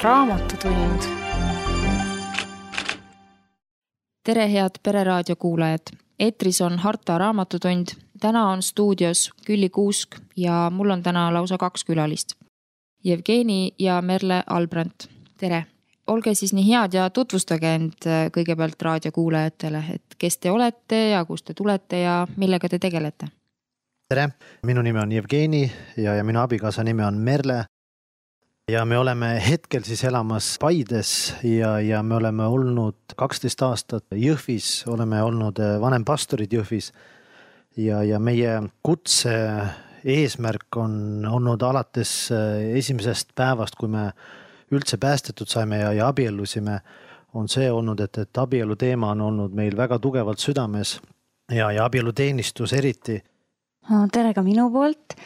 Raamatutund. Tere, head Pereraadio kuulajad! Eetris on Harta Raamatutund. Täna on stuudios Külli Kuusk ja mul on täna lausa 2 külalist. Jevgeni ja Merle Albrandt. Tere! Olge siis nii head ja tutvustage end kõigepealt raadiokuulajatele, et kes te olete ja kust te tulete ja millega te tegelete. Tere! Minu nimi on Jevgeni ja minu abikaasa nimi on Merle. Ja me oleme hetkel siis elamas Paides ja me oleme olnud 12 aastat Jõhvis, oleme olnud vanempastorid Jõhvis ja meie kutse eesmärk on olnud alates esimesest päevast, kui me üldse päästetud saime ja abiellusime, on see olnud, et abielu teema on olnud meil väga tugevalt südames ja abieluteenistus eriti. Tere ka minu poolt.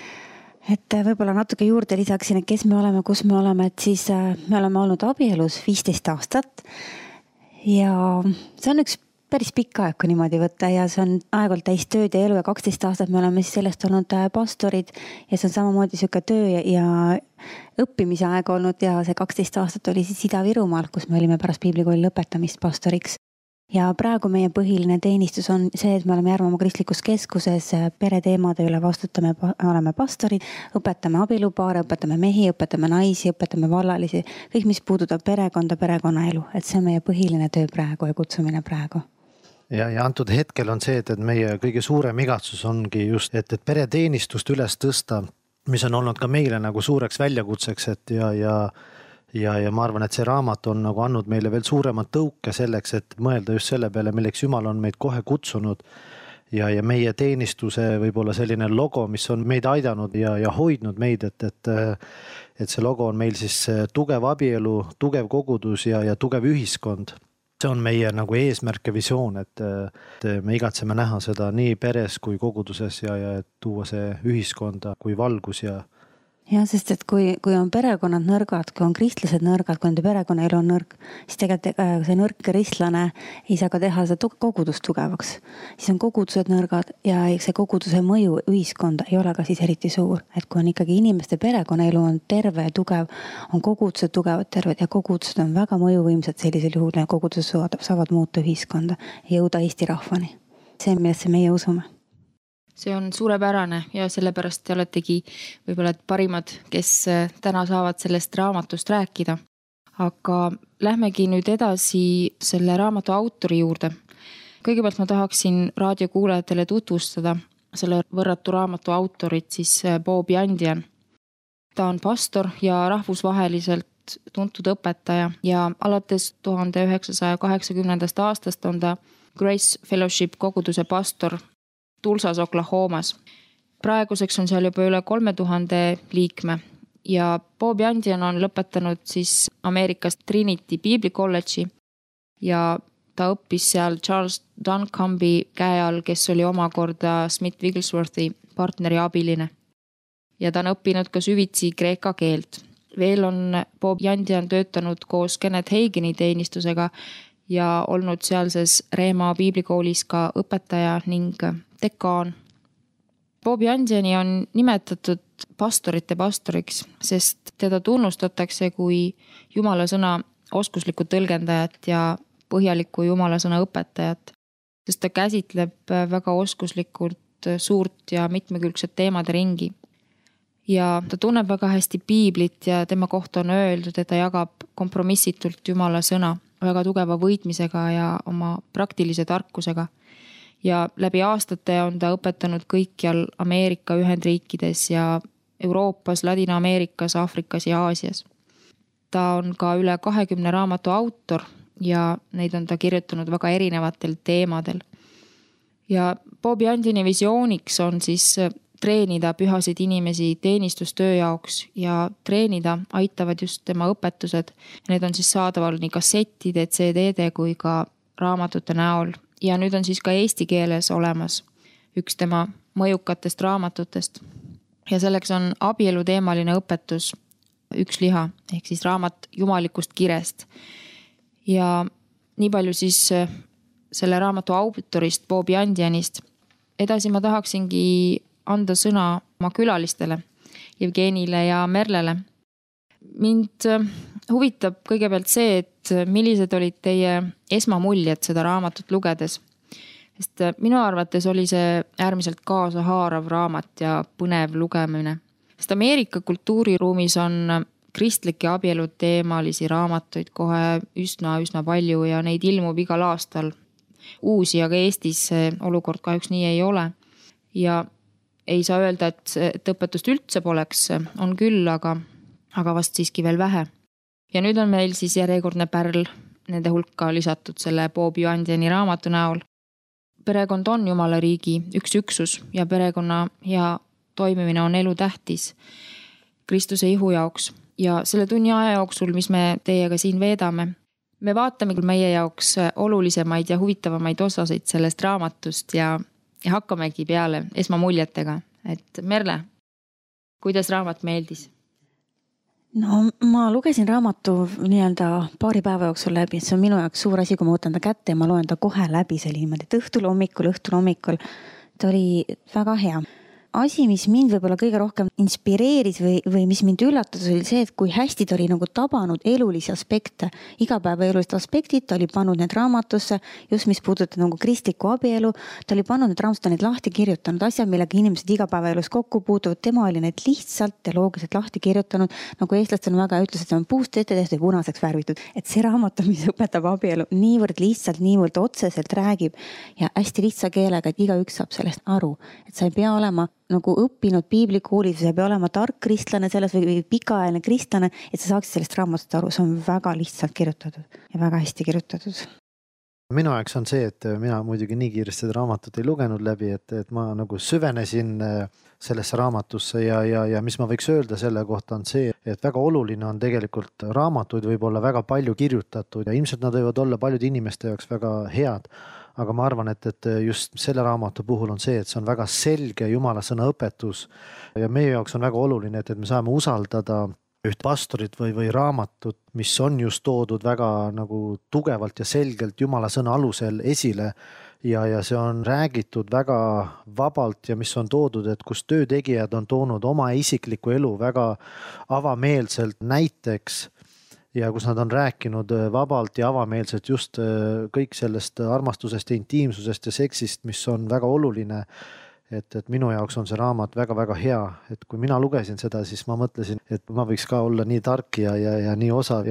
Et võib-olla natuke juurde lisaksin, et kes me oleme, kus me oleme, et siis me oleme olnud abielus 15 aastat ja see on üks päris pikk aeg, kui niimoodi võtta ja see on aeg-ajalt täis tööd ja elu ja 12 aastat me oleme siis sellest olnud pastorid ja see on samamoodi selline töö ja õppimise aeg olnud ja see 12 aastat oli siis Ida-Virumaal, kus me olime pärast piiblikooli lõpetamist pastoriks. Ja praegu meie põhiline teenistus on see, et me oleme Järvamaa kristlikus keskuses pereteemade üle vastutame, oleme pastorid, õpetame abielupaare, õpetame mehi, õpetame naisi, õpetame vallalisi, kõik mis puudutab perekonda, perekonnaelu, et see on meie põhiline töö praegu ja kutsumine praegu. Ja antud hetkel on see, et meie kõige suurem igatsus ongi just, et pereteenistust üles tõsta, mis on olnud ka meile nagu suureks väljakutseks, et ja ma arvan, et see raamat on nagu andnud meile veel suuremat tõuke selleks, et mõelda just selle peale, milleks Jumal on meid kohe kutsunud ja meie teenistuse võib-olla selline logo, mis on meid aidanud ja hoidnud meid, et see logo on meil siis tugev abielu, tugev kogudus ja tugev ühiskond. See on meie nagu eesmärk ja visioon, et me igatseme näha seda nii peres kui koguduses ja tuua see ühiskonda kui valgus ja sest et kui on perekonnad nõrgad, kui on kristlased nõrgad, kui nende perekonnaelu on nõrk, siis tegelikult see nõrk kristlane ei saa ka teha seda kogudust tugevaks. Siis on kogudused nõrgad ja see koguduse mõju ühiskonda ei ole ka siis eriti suur. Et kui on ikkagi inimeste perekonnaelu on terve ja tugev, on kogudused tugevad, terved ja kogudused on väga mõjuvõimsad sellisel juhul ja kogudused saavad muuta ühiskonda ja jõuda Eesti rahvani. See, millesse meie usume. See on suurepärane ja sellepärast te oletegi võib-olla parimad, kes täna saavad sellest raamatust rääkida. Aga lähmegi nüüd edasi selle raamatu autori juurde. Kõigepealt ma tahaksin raadiokuulajatele tutvustada selle võrratu raamatu autorit siis Bob Yandian. Ta on pastor ja rahvusvaheliselt tuntud õpetaja ja alates 1980. aastast on ta Grace Fellowship koguduse pastor Tulsas, Oklahomas. Praeguseks on seal juba üle 3000 liikme ja Bob Yandian on lõpetanud siis Ameerikas Trinity Bible College'i ja ta õppis seal Charles Duncombe käe all, kes oli omakorda Smith Wigglesworthi partneri abiline. Ja ta on õppinud ka süvitsi kreeka keelt. Veel on Bob Yandian töötanud koos Kenneth Hagini teenistusega ja olnud sealses Reema piiblikoolis ka õpetaja ning dekaan. Bob Yandiani on nimetatud pastorite pastoriks, sest teda tunnustatakse kui Jumala sõna oskuslikku tõlgendajat ja põhjalikku Jumala sõna õpetajat, sest ta käsitleb väga oskuslikult suurt ja mitmekülgset teemade ringi. Ja ta tunneb väga hästi piiblit ja tema kohta on öeldud, et ta jagab kompromissitult Jumala sõna väga tugeva võitmisega ja oma praktilise tarkusega. Ja läbi aastate on ta õpetanud kõikjal Ameerika Ühendriikides ja Euroopas, Ladina-Ameerikas, Aafrikas ja Aasias. Ta on ka üle 20 raamatu autor ja neid on ta kirjutanud väga erinevatel teemadel. Ja Bob Yandiani visiooniks on siis treenida pühasid inimesi teenistustöö jaoks ja treenida aitavad just tema õpetused. Need on siis saadaval nii kassettide, CD-de kui ka raamatute näol. Ja nüüd on siis ka eesti keeles olemas üks tema mõjukatest raamatutest. Ja selleks on abielu teemaline õpetus Üks liha, ehk siis raamat jumalikust kirest. Ja nii palju siis selle raamatu autorist Bob Yandianist. Edasi ma tahaksingi anda sõna oma külalistele, Jevgenile ja Merlele. Mind huvitab kõigepealt see, et millised olid teie esmamuljed seda raamatut lugedes. Sest minu arvates oli see äärmiselt kaasahaarav raamat ja põnev lugemine. Sest Ameerika kultuuriruumis on kristlike abielu teemalisi raamatuid kohe üsna palju ja neid ilmub igal aastal uusi, aga Eestis see olukord kahjuks nii ei ole. Ja ei saa öelda, et õpetust üldse poleks, on küll, aga vast siiski veel vähe. Ja nüüd on meil siis järjekordne pärl nende hulka lisatud selle Bob Joandiani raamatu näol. Perekond on Jumala riigi üks üksus ja perekonna hea toimimine on elu tähtis Kristuse ihu jaoks. Ja selle tunni aja jooksul, mis me teiega siin veedame, me vaatame meie jaoks olulisemaid ja huvitavamaid osasid sellest raamatust ja hakkamegi peale esmamuljetega. Et Merle, kuidas raamat meeldis? No ma lugesin raamatu nii-öelda paari päeva jooksul läbi, see on minu jaoks suur asi, kui ma võtan ta kätte ja ma loen ta kohe läbi, see oli niimoodi, et õhtul hommikul. Ta oli väga hea. Asi, mis mind võib-olla kõige rohkem inspireeris või mis mind üllatas, oli see, et kui hästi ta oli nagu tabanud elulisi aspekte, igapäeva elulised aspektid, ta oli pannud need raamatusse, just mis puudutab nagu kristlikku abielu, ta oli pannud need raamatud, neid lahti kirjutanud asjad, millega inimesed igapäeva elus kokku puutuvad, tema oli need lihtsalt ja loogiliselt lahti kirjutanud, nagu eestlastel väga ütles, et see on puust ette tehtud ja punaseks värvitud, et see raamat, mis õpetab abielu, niivõrd lihtsalt, niivõrd otseselt räägib ja hästi lihtsa keelega, et igaüks saab sellest aru, et sa ei pea olema nagu õppinud piiblikoolis, sa ei pea olema tark kristlane selles või pikaajaline kristlane, et sa saaksid sellest raamatust aru, see on väga lihtsalt kirjutatud ja väga hästi kirjutatud. Minu jaoks on see, et mina muidugi nii kiiresti seda raamatut ei lugenud läbi, et ma nagu süvenesin sellesse raamatusse ja mis ma võiks öelda selle kohta on see, et väga oluline on tegelikult raamatuid võib olla väga palju kirjutatud ja ilmselt nad võivad olla paljude inimeste jaoks väga head. Aga ma arvan, et just selle raamatu puhul on see, et see on väga selge Jumala sõna õpetus ja meie jaoks on väga oluline, et me saame usaldada üht pastorit või raamatut, mis on just toodud väga nagu tugevalt ja selgelt Jumala sõna alusel esile ja see on räägitud väga vabalt ja mis on toodud, et kus töötegijad on toonud oma isiklikku elu väga avameelselt näiteks ja kus nad on rääkinud vabalt ja avameelselt just kõik sellest armastusest ja intiimsusest ja seksist, mis on väga oluline. Et minu jaoks on see raamat väga hea, et kui mina lugesin seda, siis ma mõtlesin, et ma võiks ka olla nii tark ja nii osav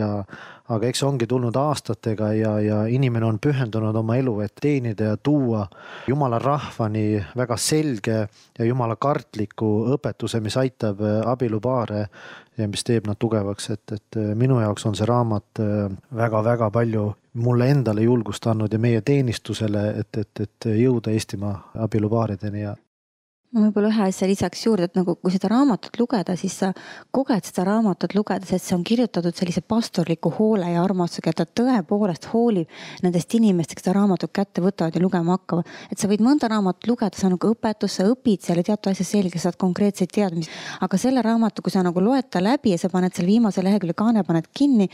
aga eks ongi tulnud aastatega ja inimene on pühendunud oma elu, et teenida ja tuua Jumala rahvani väga selge ja Jumala kartliku õpetuse, mis aitab abielupaare ja mis teeb nad tugevaks, et minu jaoks on see raamat väga palju mulle endale julgust andnud ja meie teenistusele, et jõuda Eestimaa abielupaarideni ja ma võib-olla ühe asja lisaks juurde, et nagu kui seda raamatut lugeda, siis sa koged seda raamatut lugedes, et see on kirjutatud sellise pastorliku hoole ja armastusega, et ta tõepoolest hoolib nendest inimestest, seda raamatut kätte võtavad ja lugema hakkavad. Et sa võid mõnda raamatut lugeda, sa nagu õpetus, sa õpid selle teatud asja selge, saad konkreetseid teadmisi. Aga selle raamatu, kui sa nagu loed ta läbi ja sa paned selle viimase lehekülje kaane, paned kinni,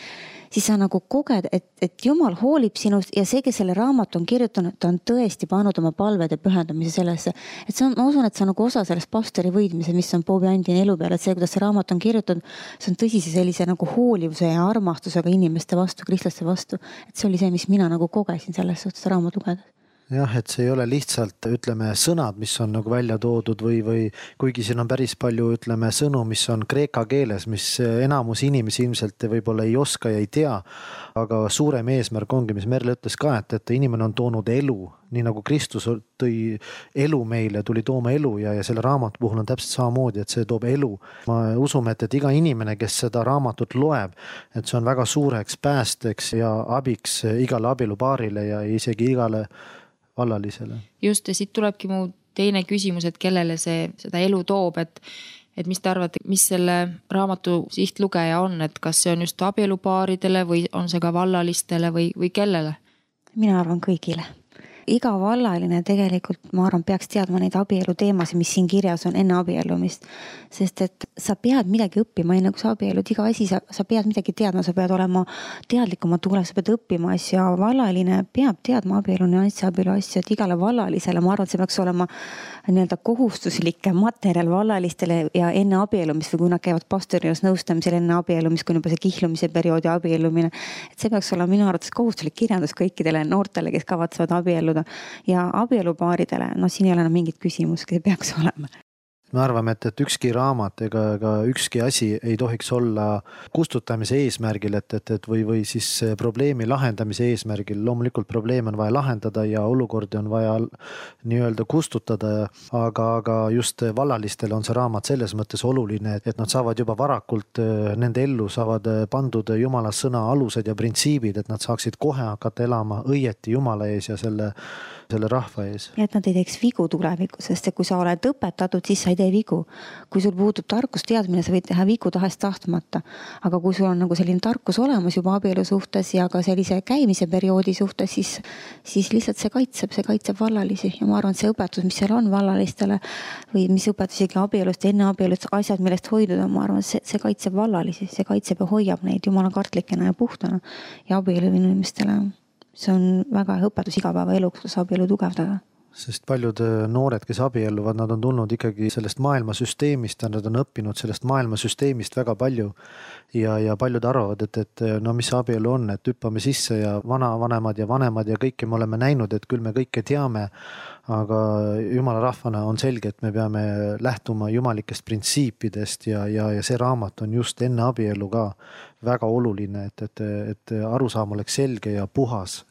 siis sa nagu koged, et Jumal hoolib sinust ja see, kes selle raamatu on kirjutanud, ta on tõesti pannud oma palved ja pühendamise sellesse. Et see on, ma usun, et see on nagu osa sellest pastori võidmise, mis on Bob Joandiani elu peal, et see, kuidas see raamat on kirjutatud, see on tõsise sellise nagu hoolivuse ja armastusega inimeste vastu, kristlaste vastu. Et see oli see, mis mina nagu kogesin selles suhtes raamat lugedes. Jah, et see ei ole lihtsalt, ütleme, sõnad, mis on nagu välja toodud või kuigi siin on päris palju, ütleme, sõnu, mis on kreeka keeles, mis enamus inimesi ilmselt võib-olla ei oska ja ei tea, aga suurem eesmärk ongi, mis Merle ütles ka, et inimene on toonud elu, nii nagu Kristus tõi elu meile, tuli tooma elu ja selle raamatu puhul on täpselt samamoodi, et see toob elu. Ma usume, et iga inimene, kes seda raamatut loeb, et see on väga suureks päästeks ja abiks igale abielupaarile ja isegi igale vallalisele. Just, ja siit tulebki mu teine küsimus, et kellele seda elu toob, et mis te arvate, mis selle raamatu sihtlugeja on, et kas see on just abielupaaridele või on see ka vallalistele või kellele? Mina arvan kõigile. iga vallaline tegelikult, ma arvan, peaks teadma neid abielu teemasid, mis siin kirjas on enne abiellumist. Sest et sa pead midagi õppima, enne kui sa abiellud, iga asi, sa pead midagi teadma, sa pead olema teadlikuma tulev, sa pead õppima asju ja vallaline peab teadma abielu nüanssi, abielu asju, et igale vallalisele, ma arvan, et see peaks olema nii-öelda kohustuslike materjal vallalistele ja enne abiellumist või kui nad käivad pastori juures nõustamisel enne abiellumist, kui juba see kihlumise perioodi abiellumine, et see peaks olema minu arvates kohustuslik kirjandus kõikidele noortele, kes kavatsevad abielluda ja abielupaaridele, no siin ei ole enam mingit küsimust, kes peaks olema. Me arvame, et ükski raamat ega ükski asi ei tohiks olla kustutamise eesmärgil, või siis probleemi lahendamise eesmärgil. Loomulikult probleem on vaja lahendada ja olukordi on vaja nii-öelda kustutada, aga just vallalistele on see raamat selles mõttes oluline, et nad saavad juba varakult, nende ellu saavad pandud Jumala sõna alused ja printsiibid, et nad saaksid kohe hakata elama õieti Jumala ees ja selle rahva ees. Ja et nad ei teeks vigu tulevikus, sest kui sa oled õpetatud, siis sa ei tee vigu. Kui sul puudub tarkus teadmine, sa võid teha vigu tahest tahtmata. Aga kui sul on nagu selline tarkus olemas juba abielu suhtes ja ka sellise käimise perioodi suhtes, siis lihtsalt see kaitseb vallalisi. Ja ma arvan, et see õpetus, mis seal on vallalistele või mis õpetusigi abielust, enne abielust, asjad, millest hoiduda, ma arvan, see kaitseb vallalisi, see kaitseb ja hoiab neid jumala kartlikena ja puhtana ja abielu inimestele. See on väga hea õpetus igapäevaelu, kuidas abielu tugevdada. Sest paljud noored, kes abielluvad, nad on tulnud ikkagi sellest maailmasüsteemist ja nad on õppinud sellest maailmasüsteemist väga palju. Ja paljud arvavad, et no mis abielu on, et hüppame sisse ja vanavanemad ja vanemad ja kõike me oleme näinud, et küll me kõike teame. Aga jumala rahvana on selge, et me peame lähtuma jumalikest printsiipidest ja see raamat on just enne abielu ka väga oluline, et arusaam oleks selge ja puhas.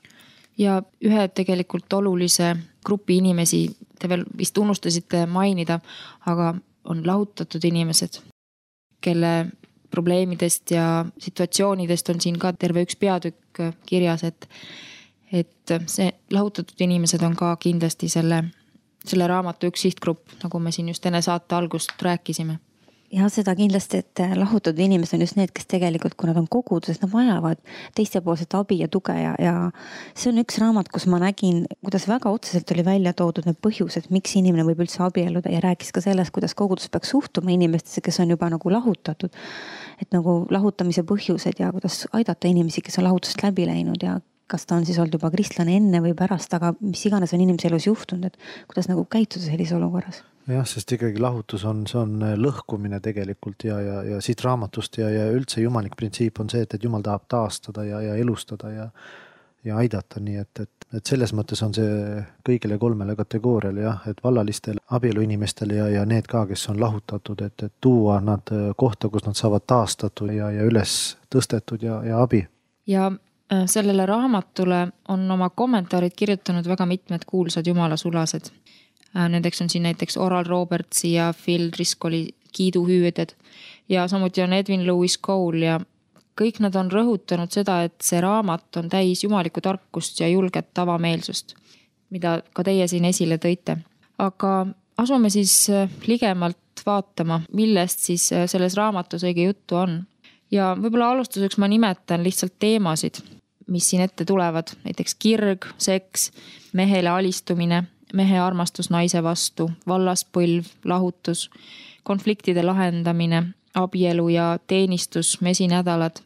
Ja ühe tegelikult olulise grupi inimesi, te veel vist unustasite mainida, aga on lahutatud inimesed, kelle probleemidest ja situatsioonidest on siin ka terve üks peatükk kirjas, et see lahutatud inimesed on ka kindlasti selle raamatu üks sihtgrupp, nagu me siin just enne saate algust rääkisime. Ja seda kindlasti, et lahutatud inimesed on just need, kes tegelikult, kui nad on koguduses, nad vajavad teistepoolset abi ja tuge ja see on üks raamat, kus ma nägin, kuidas väga otseselt oli välja toodud need põhjused, miks inimene võib üldse abielluda ja rääkis ka sellest, kuidas kogudus peaks suhtuma inimestesse, kes on juba nagu lahutatud. Et nagu lahutamise põhjused ja kuidas aidata inimesi, kes on lahutust läbi läinud ja kas ta on siis olnud juba kristlane enne või pärast, aga mis iganes on inimese elus juhtunud, et kuidas nagu käituda sellise olukorras. Jah, sest ikkagi lahutus see on lõhkumine tegelikult ja siit raamatust ja üldse jumalik printsiip on see, et jumal tahab taastada ja elustada ja aidata. Nii et selles mõttes on see kõigile kolmele kategooriale, jah, et vallalistele, abielu inimestele ja need ka, kes on lahutatud, et tuua nad kohta, kus nad saavad taastatud ja üles tõstetud ja abi. Ja sellele raamatule on oma kommentaarid kirjutanud väga mitmed kuulsad jumala sulased. Nendeks on siin näiteks Oral Robertsi ja Phil Driscolli kiiduhüüded ja samuti on Edwin Lewis Cole ja kõik nad on rõhutanud seda, et see raamat on täis jumalikku tarkust ja julget avameelsust, mida ka teie siin esile tõite. Aga asume siis ligemalt vaatama, millest siis selles raamatus õige juttu on. Ja võib-olla alustuseks ma nimetan lihtsalt teemasid, mis siin ette tulevad, näiteks kirg, seks, mehele alistumine, mehe armastus naise vastu, vallaspõlv, lahutus, konfliktide lahendamine, abielu ja teenistus, mesinädalad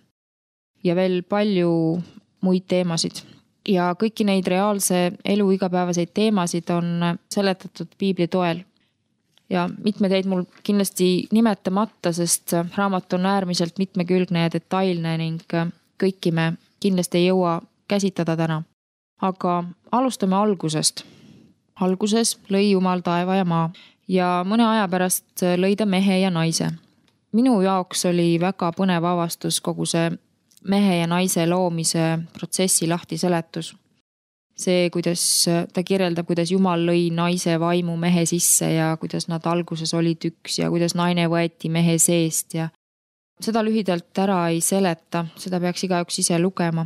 ja veel palju muid teemasid. Ja kõiki neid reaalse elu igapäevaseid teemasid on seletatud piibli toel. Ja mitmed jäid mul kindlasti nimetamata, sest raamat on äärmiselt mitmekülgne ja detailne ning kõiki me kindlasti ei jõua käsitleda täna. Aga alustame algusest. Alguses lõi Jumal taeva ja maa ja mõne aja pärast lõi ta mehe ja naise. Minu jaoks oli väga põnev avastus kogu see mehe ja naise loomise protsessi lahtiseletus. See, kuidas ta kirjeldab, kuidas Jumal lõi naise vaimu mehe sisse ja kuidas nad alguses olid üks ja kuidas naine võeti mehe seest ja seda lühidalt ära ei seleta, seda peaks igaüks ise lugema.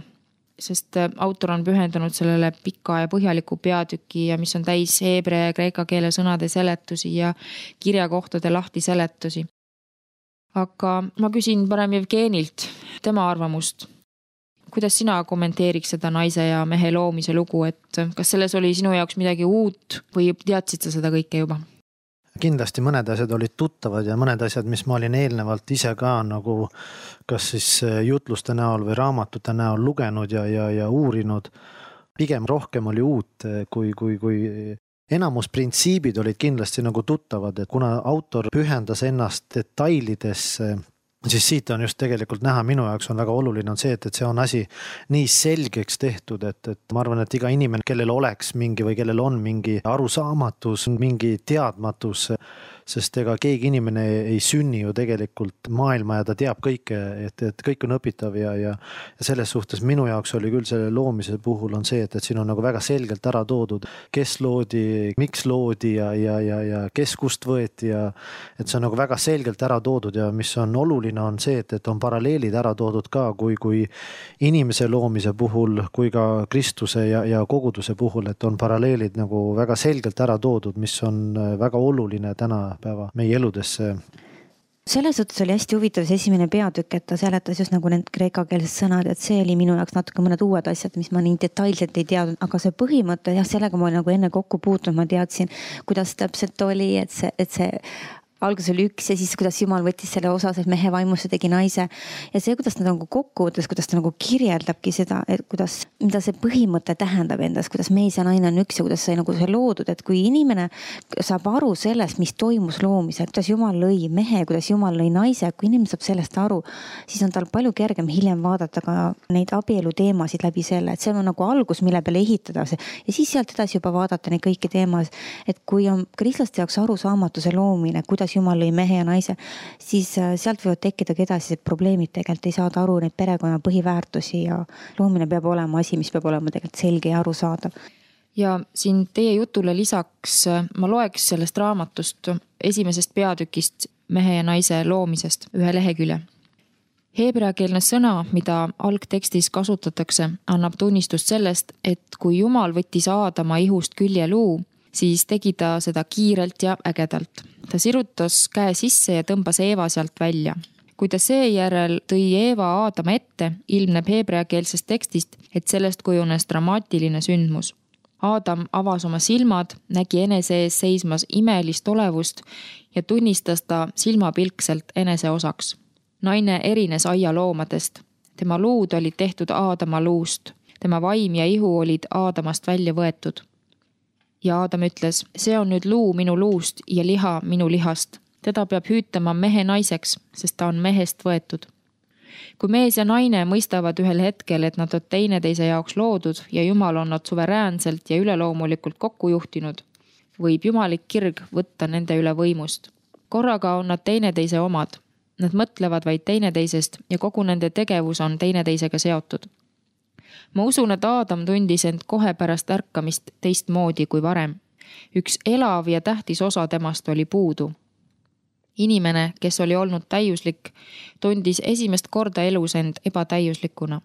Sest autor on pühendunud sellele pika ja põhjaliku peatüki ja mis on täis heebrea ja kreeka keele sõnade seletusi ja kirjakohtade lahti seletusi. Aga ma küsin parem Jevgenilt tema arvamust. kuidas sina kommenteeriks seda naise ja mehe loomise lugu, et kas selles oli sinu jaoks midagi uut või teadsid sa seda kõike juba? Kindlasti mõned asjad olid tuttavad ja mõned asjad, mis ma olin eelnevalt ise ka nagu kas siis jutluste näol või raamatute näol lugenud ja uurinud. Pigem rohkem oli uut, kui enamus printsiibid olid kindlasti nagu tuttavad, et kuna autor pühendas ennast detailidesse, siis siit on just tegelikult näha, minu jaoks on väga oluline on see, et see on asi nii selgeks tehtud, et ma arvan, et iga inimene, kellel oleks mingi või kellel on mingi arusaamatus, mingi teadmatus, sest ega keegi inimene ei sünni ju tegelikult maailma ja ta teab kõike, et kõik on õpitav ja selles suhtes minu jaoks oli küll selle loomise puhul on see, et siin on nagu väga selgelt ära toodud, kes loodi, miks loodi ja kes kust võeti ja et see on nagu väga selgelt ära toodud ja mis on oluline on see, et on paralleelid ära toodud ka kui inimese loomise puhul, kui ka Kristuse ja koguduse puhul, et on paralleelid nagu väga selgelt ära toodud, mis on väga oluline tänapäeva meie eludesse. Selles suhtes oli hästi huvitav see esimene peatükk, et ta seletas just nagu need kreekakeelsed sõnad, et see oli minu jaoks natuke mõned uued asjad, mis ma nii detailselt ei teadnud, aga see põhimõte, jah, sellega ma olin nagu enne kokku puutunud, ma teadsin, kuidas täpselt oli, et see alguses oli üks ja siis kuidas Jumal võttis selle osa, et mehe vaimusse tegi naise ja see, kuidas nad nagu kokku võttes, kuidas ta nagu kirjeldabki seda, et kuidas, mida see põhimõte tähendab endas, kuidas mees ja naine on üks ja kuidas sai nagu see loodud, et kui inimene saab aru sellest, mis toimus loomisel, kuidas Jumal lõi mehe, kuidas Jumal lõi naise, kui inimene saab sellest aru, siis on tal palju kergem hiljem vaadata ka neid abielu teemasid läbi selle, et see on nagu algus, mille peale ehitada see ja siis sealt edasi juba vaadata neid kõiki teemasid, et kui on kristlaste jaoks arusaamatuse loomine, kuidas Jumal lõi mehe ja naise, siis sealt võivad tekkidagi edasi probleemid, tegelikult ei saada aru neid perekonna põhiväärtusi ja loomine peab olema asi, mis peab olema tegelikult selge ja arusaadav. Ja siin teie jutule lisaks ma loeks sellest raamatust esimesest peatükist mehe ja naise loomisest ühe lehekülje. Heebreakeelne sõna, mida algtekstis kasutatakse, annab tunnistust sellest, et kui Jumal võttis Aadama ihust küljeluu, siis tegi ta seda kiirelt ja ägedalt. Ta sirutas käe sisse ja tõmbas Eeva sealt välja. Kui ta seejärel tõi Eeva Aadama ette, ilmneb heebreakeelsest tekstist, et sellest kujunes dramaatiline sündmus. Aadam avas oma silmad, nägi enese ees seismas imelist olevust ja tunnistas ta silmapilkselt enese osaks. Naine erines aialoomadest. Tema luud olid tehtud Aadama luust. Tema vaim ja ihu olid Aadamast välja võetud. Ja Aadam ütles, see on nüüd luu minu luust ja liha minu lihast. Teda peab hüütama mehe naiseks, sest ta on mehest võetud. Kui mees ja naine mõistavad ühel hetkel, et nad on teineteise jaoks loodud ja Jumal on nad suveräänselt ja üleloomulikult kokku juhtinud, võib jumalik kirg võtta nende üle võimust. Korraga on nad teineteise omad. Nad mõtlevad vaid teineteisest ja kogu nende tegevus on teineteisega seotud. Ma usun, et Aadam tundis end kohe pärast ärkamist teistmoodi kui varem. Üks elav ja tähtis osa temast oli puudu. Inimene, kes oli olnud täiuslik, tundis esimest korda elus end ebatäiuslikuna.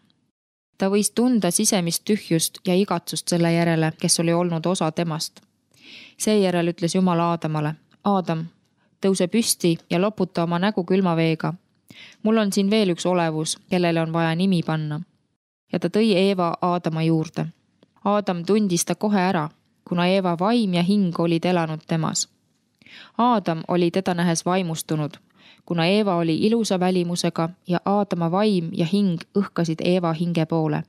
Ta võis tunda sisemist tühjust ja igatsust selle järele, kes oli olnud osa temast. Seejärel ütles Jumal Aadamale, Aadam, tõuse püsti ja loputa oma nägu külmaveega. Mul on siin veel üks olevus, kellele on vaja nimi panna. Ja ta tõi Eeva Aadama juurde. Aadam tundis ta kohe ära, kuna Eeva vaim ja hing olid elanud temas. Aadam oli teda nähes vaimustunud, kuna Eeva oli ilusa välimusega ja Aadama vaim ja hing õhkasid Eeva hinge poole.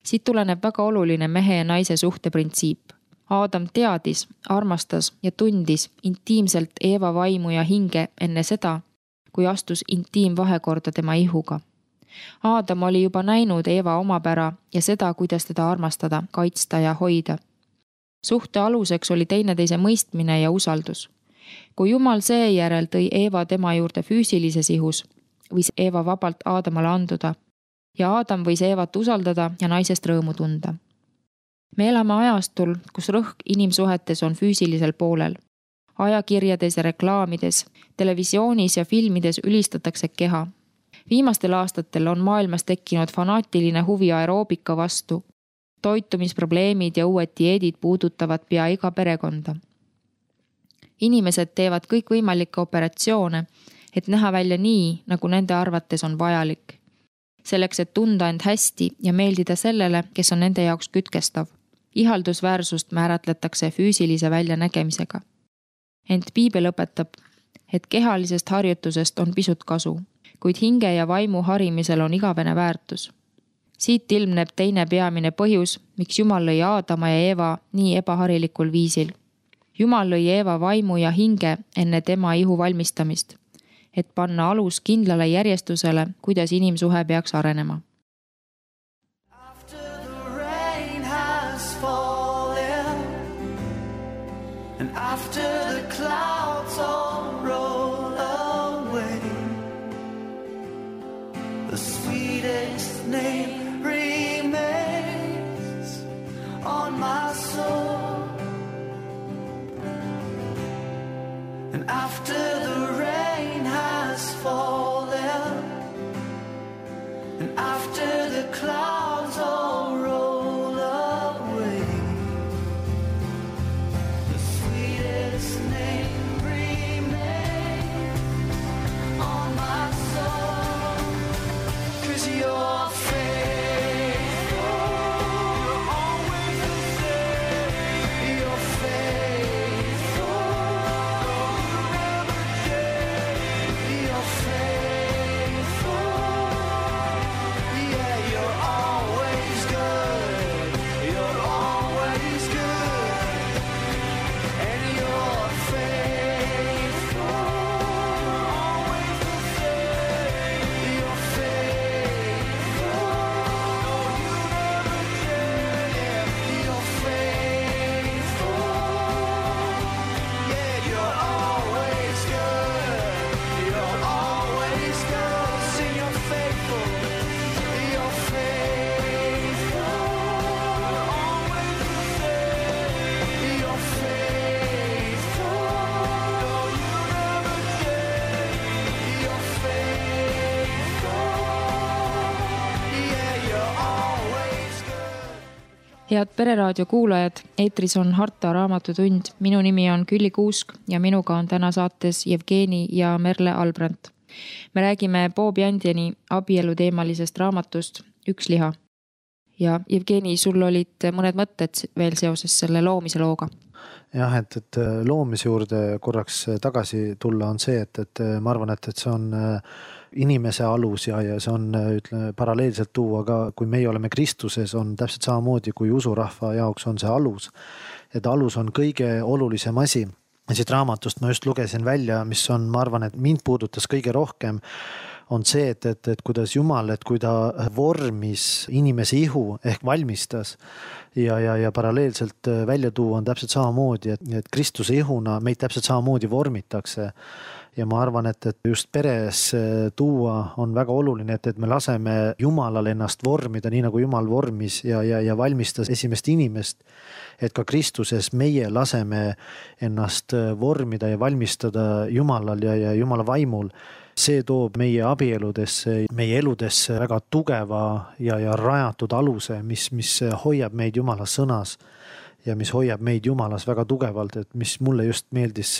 Siit tuleneb väga oluline mehe ja naise suhteprintsiip. Aadam teadis, armastas ja tundis intiimselt Eeva vaimu ja hinge enne seda, kui astus intiimvahekorda tema ihuga. Aadam oli juba näinud Eeva omapära ja seda, kuidas teda armastada, kaitsta ja hoida. Suhte aluseks oli teineteise mõistmine ja usaldus. Kui Jumal seejärel tõi Eeva tema juurde füüsilises ihus, võis Eeva vabalt Aadamale anduda ja Aadam võis Eevat usaldada ja naisest rõõmu tunda. Me elame ajastul, kus rõhk inimsuhetes on füüsilisel poolel. Ajakirjades ja reklaamides, televisioonis ja filmides ülistatakse keha. Viimastel aastatel on maailmas tekkinud fanaatiline huvi aeroobika vastu. Toitumisprobleemid ja uued dieedid puudutavad pea iga perekonda. Inimesed teevad kõik võimalikke operatsioone, et näha välja nii, nagu nende arvates on vajalik. selleks, et tunda end hästi ja meeldida sellele, kes on nende jaoks kütkestav. Ihaldusväärsust määratletakse füüsilise väljanägemisega. Ent piibel õpetab, et kehalisest harjutusest on pisut kasu, kuid hinge ja vaimu harimisel on igavene väärtus. Siit ilmneb teine peamine põhjus, miks Jumal lõi Aadama ja Eeva nii ebaharilikul viisil. Jumal lõi Eeva vaimu ja hinge enne tema ihu valmistamist, et panna alus kindlale järjestusele, kuidas inimsuhe peaks arenema. And after the clouds all roll away, the sweetest name remains on my soul. And after the rain has fallen, and after the clouds all roll away, the sweetest name remains on my soul. 'Cause you're faithful, you're always the same. You're faithful, you never change. You're faithful, yeah, you're always good. You're always good, and you're faithful, always the same. You're faithful, you never change. You're faithful, yeah, you're always good. You're always good. Sing, you're faithful. You're faithful, always the same. You're faithful, you never change. You're faithful, yeah, you're always good. Head Pereraadio kuulajad, eetris on Harta raamatutund. Minu nimi on Külli Kuusk ja minuga on täna saates Jevgeni ja Merle Albrandt. Me räägime Bob Jandjeni abieluteemalisest raamatust Üks liha. Ja Jevgeni, sul olid mõned mõtted veel seoses selle loomise looga. jah, et loomise juurde korraks tagasi tulla on see, et ma arvan, et see on inimese alus ja see on, ütleme, paralleelselt tuua ka, kui meie oleme Kristuses, on täpselt samamoodi kui usurahva jaoks on see alus. Et alus on kõige olulisem asi. Ja siit raamatust ma just lugesin välja, mis on, ma arvan, et mind puudutas kõige rohkem, on see, et kuidas Jumal, et kui ta vormis inimese ihu ehk valmistas ja paralleelselt välja tuua on täpselt samamoodi, et Kristuse ihuna meid täpselt samamoodi vormitakse. Ja ma arvan, et just peres tuua on väga oluline, et me laseme Jumalal ennast vormida, nii nagu Jumal vormis ja valmistas esimest inimest. Et ka Kristuses meie laseme ennast vormida ja valmistada Jumalal ja Jumala vaimul. See toob meie abieludesse, meie eludesse väga tugeva ja rajatud aluse, mis hoiab meid Jumala sõnas ja mis hoiab meid Jumalas väga tugevalt, et mis mulle just meeldis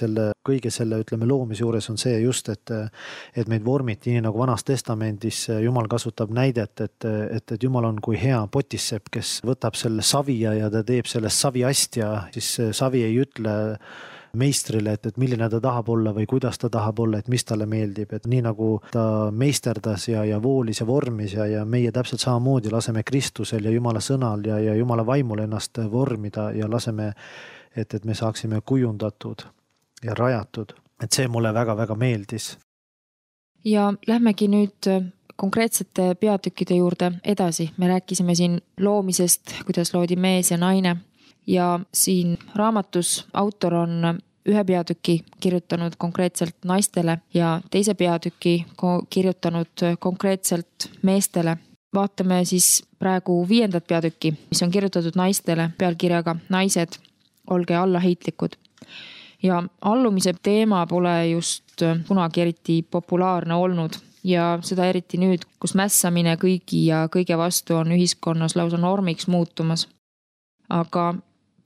kõige selle, ütleme, loomise juures on see just, et meid vormiti nii nagu Vanas Testamendis Jumal kasutab näidet, et Jumal on kui hea potissepp, kes võtab selle savi ja ta teeb sellest saviast ja siis savi ei ütle meistrile, et milline ta tahab olla või kuidas ta tahab olla, et mis talle meeldib, et nii nagu ta meisterdas ja voolis ja vormis ja meie täpselt samamoodi laseme Kristusel ja Jumala sõnal ja Jumala vaimul ennast vormida ja laseme, et me saaksime kujundatud ja rajatud. Et see mulle väga-väga meeldis. Ja lähmegi nüüd konkreetsete peatükkide juurde edasi. Me rääkisime siin loomisest, kuidas loodi mees ja naine. Ja siin raamatus autor on ühe peatüki kirjutanud konkreetselt naistele ja teise peatüki kirjutanud konkreetselt meestele. Vaatame siis praegu 5. peatükki, mis on kirjutatud naistele pealkirjaga Naised, olge allaheitlikud. Ja allumise teema pole just kunagi eriti populaarne olnud ja seda eriti nüüd, kus mässamine kõigi ja kõige vastu on ühiskonnas lausa normiks muutumas. Aga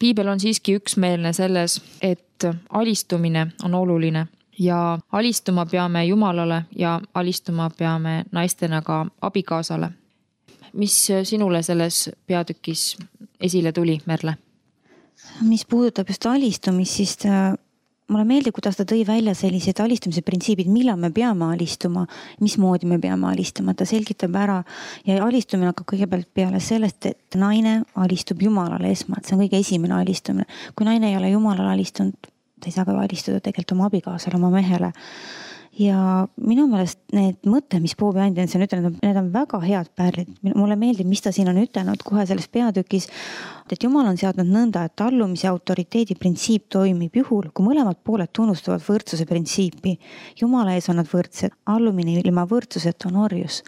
piibel on siiski üksmeelne selles, et alistumine on oluline ja alistuma peame Jumalale ja alistuma peame naistena ka abikaasale. Mis sinule selles peatükis esile tuli, Merle? Mis puudutab just alistumist, siis mulle meeldib, kuidas ta tõi välja sellised alistumise printsiibid, millal me peame alistuma, mismoodi me peame alistuma. Ta selgitab ära ja alistumine hakkab kõigepealt peale sellest, et naine alistub Jumalale esmalt. See on kõige esimene alistumine. Kui naine ei ole Jumalale alistunud, ta ei saa ka alistuda tegelikult oma abikaasale, oma mehele. Ja minu meelest need mõtte, mis Bob Jansen on ütelnud, need on väga head pärlid. Mulle meeldib, mis ta siin on ütelnud kohe selles peatükis, et Jumal on seadnud nõnda, et allumise autoriteedi printsiip toimib juhul, kui mõlemad pooled tunnustavad võrdsuse printsiipi. Jumala ees on nad võrdsed, allumine ilma võrdsuset on orjus.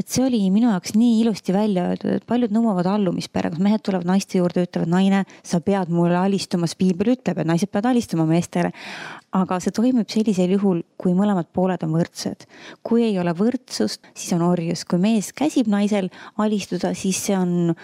Et see oli minu jaoks nii ilusti välja öeldud, et paljud nõuavad allumisperega. Mehed tulevad naiste juurde, ütlevad, naine, sa pead mulle alistumas. Piibel ütleb, et naised peavad alistuma meestele. Aga see toimib sellisel juhul, kui mõlemad pooled on võrdsed. Kui ei ole võrdsust, siis on orjus. Kui mees käsib naisel alistuda, siis see on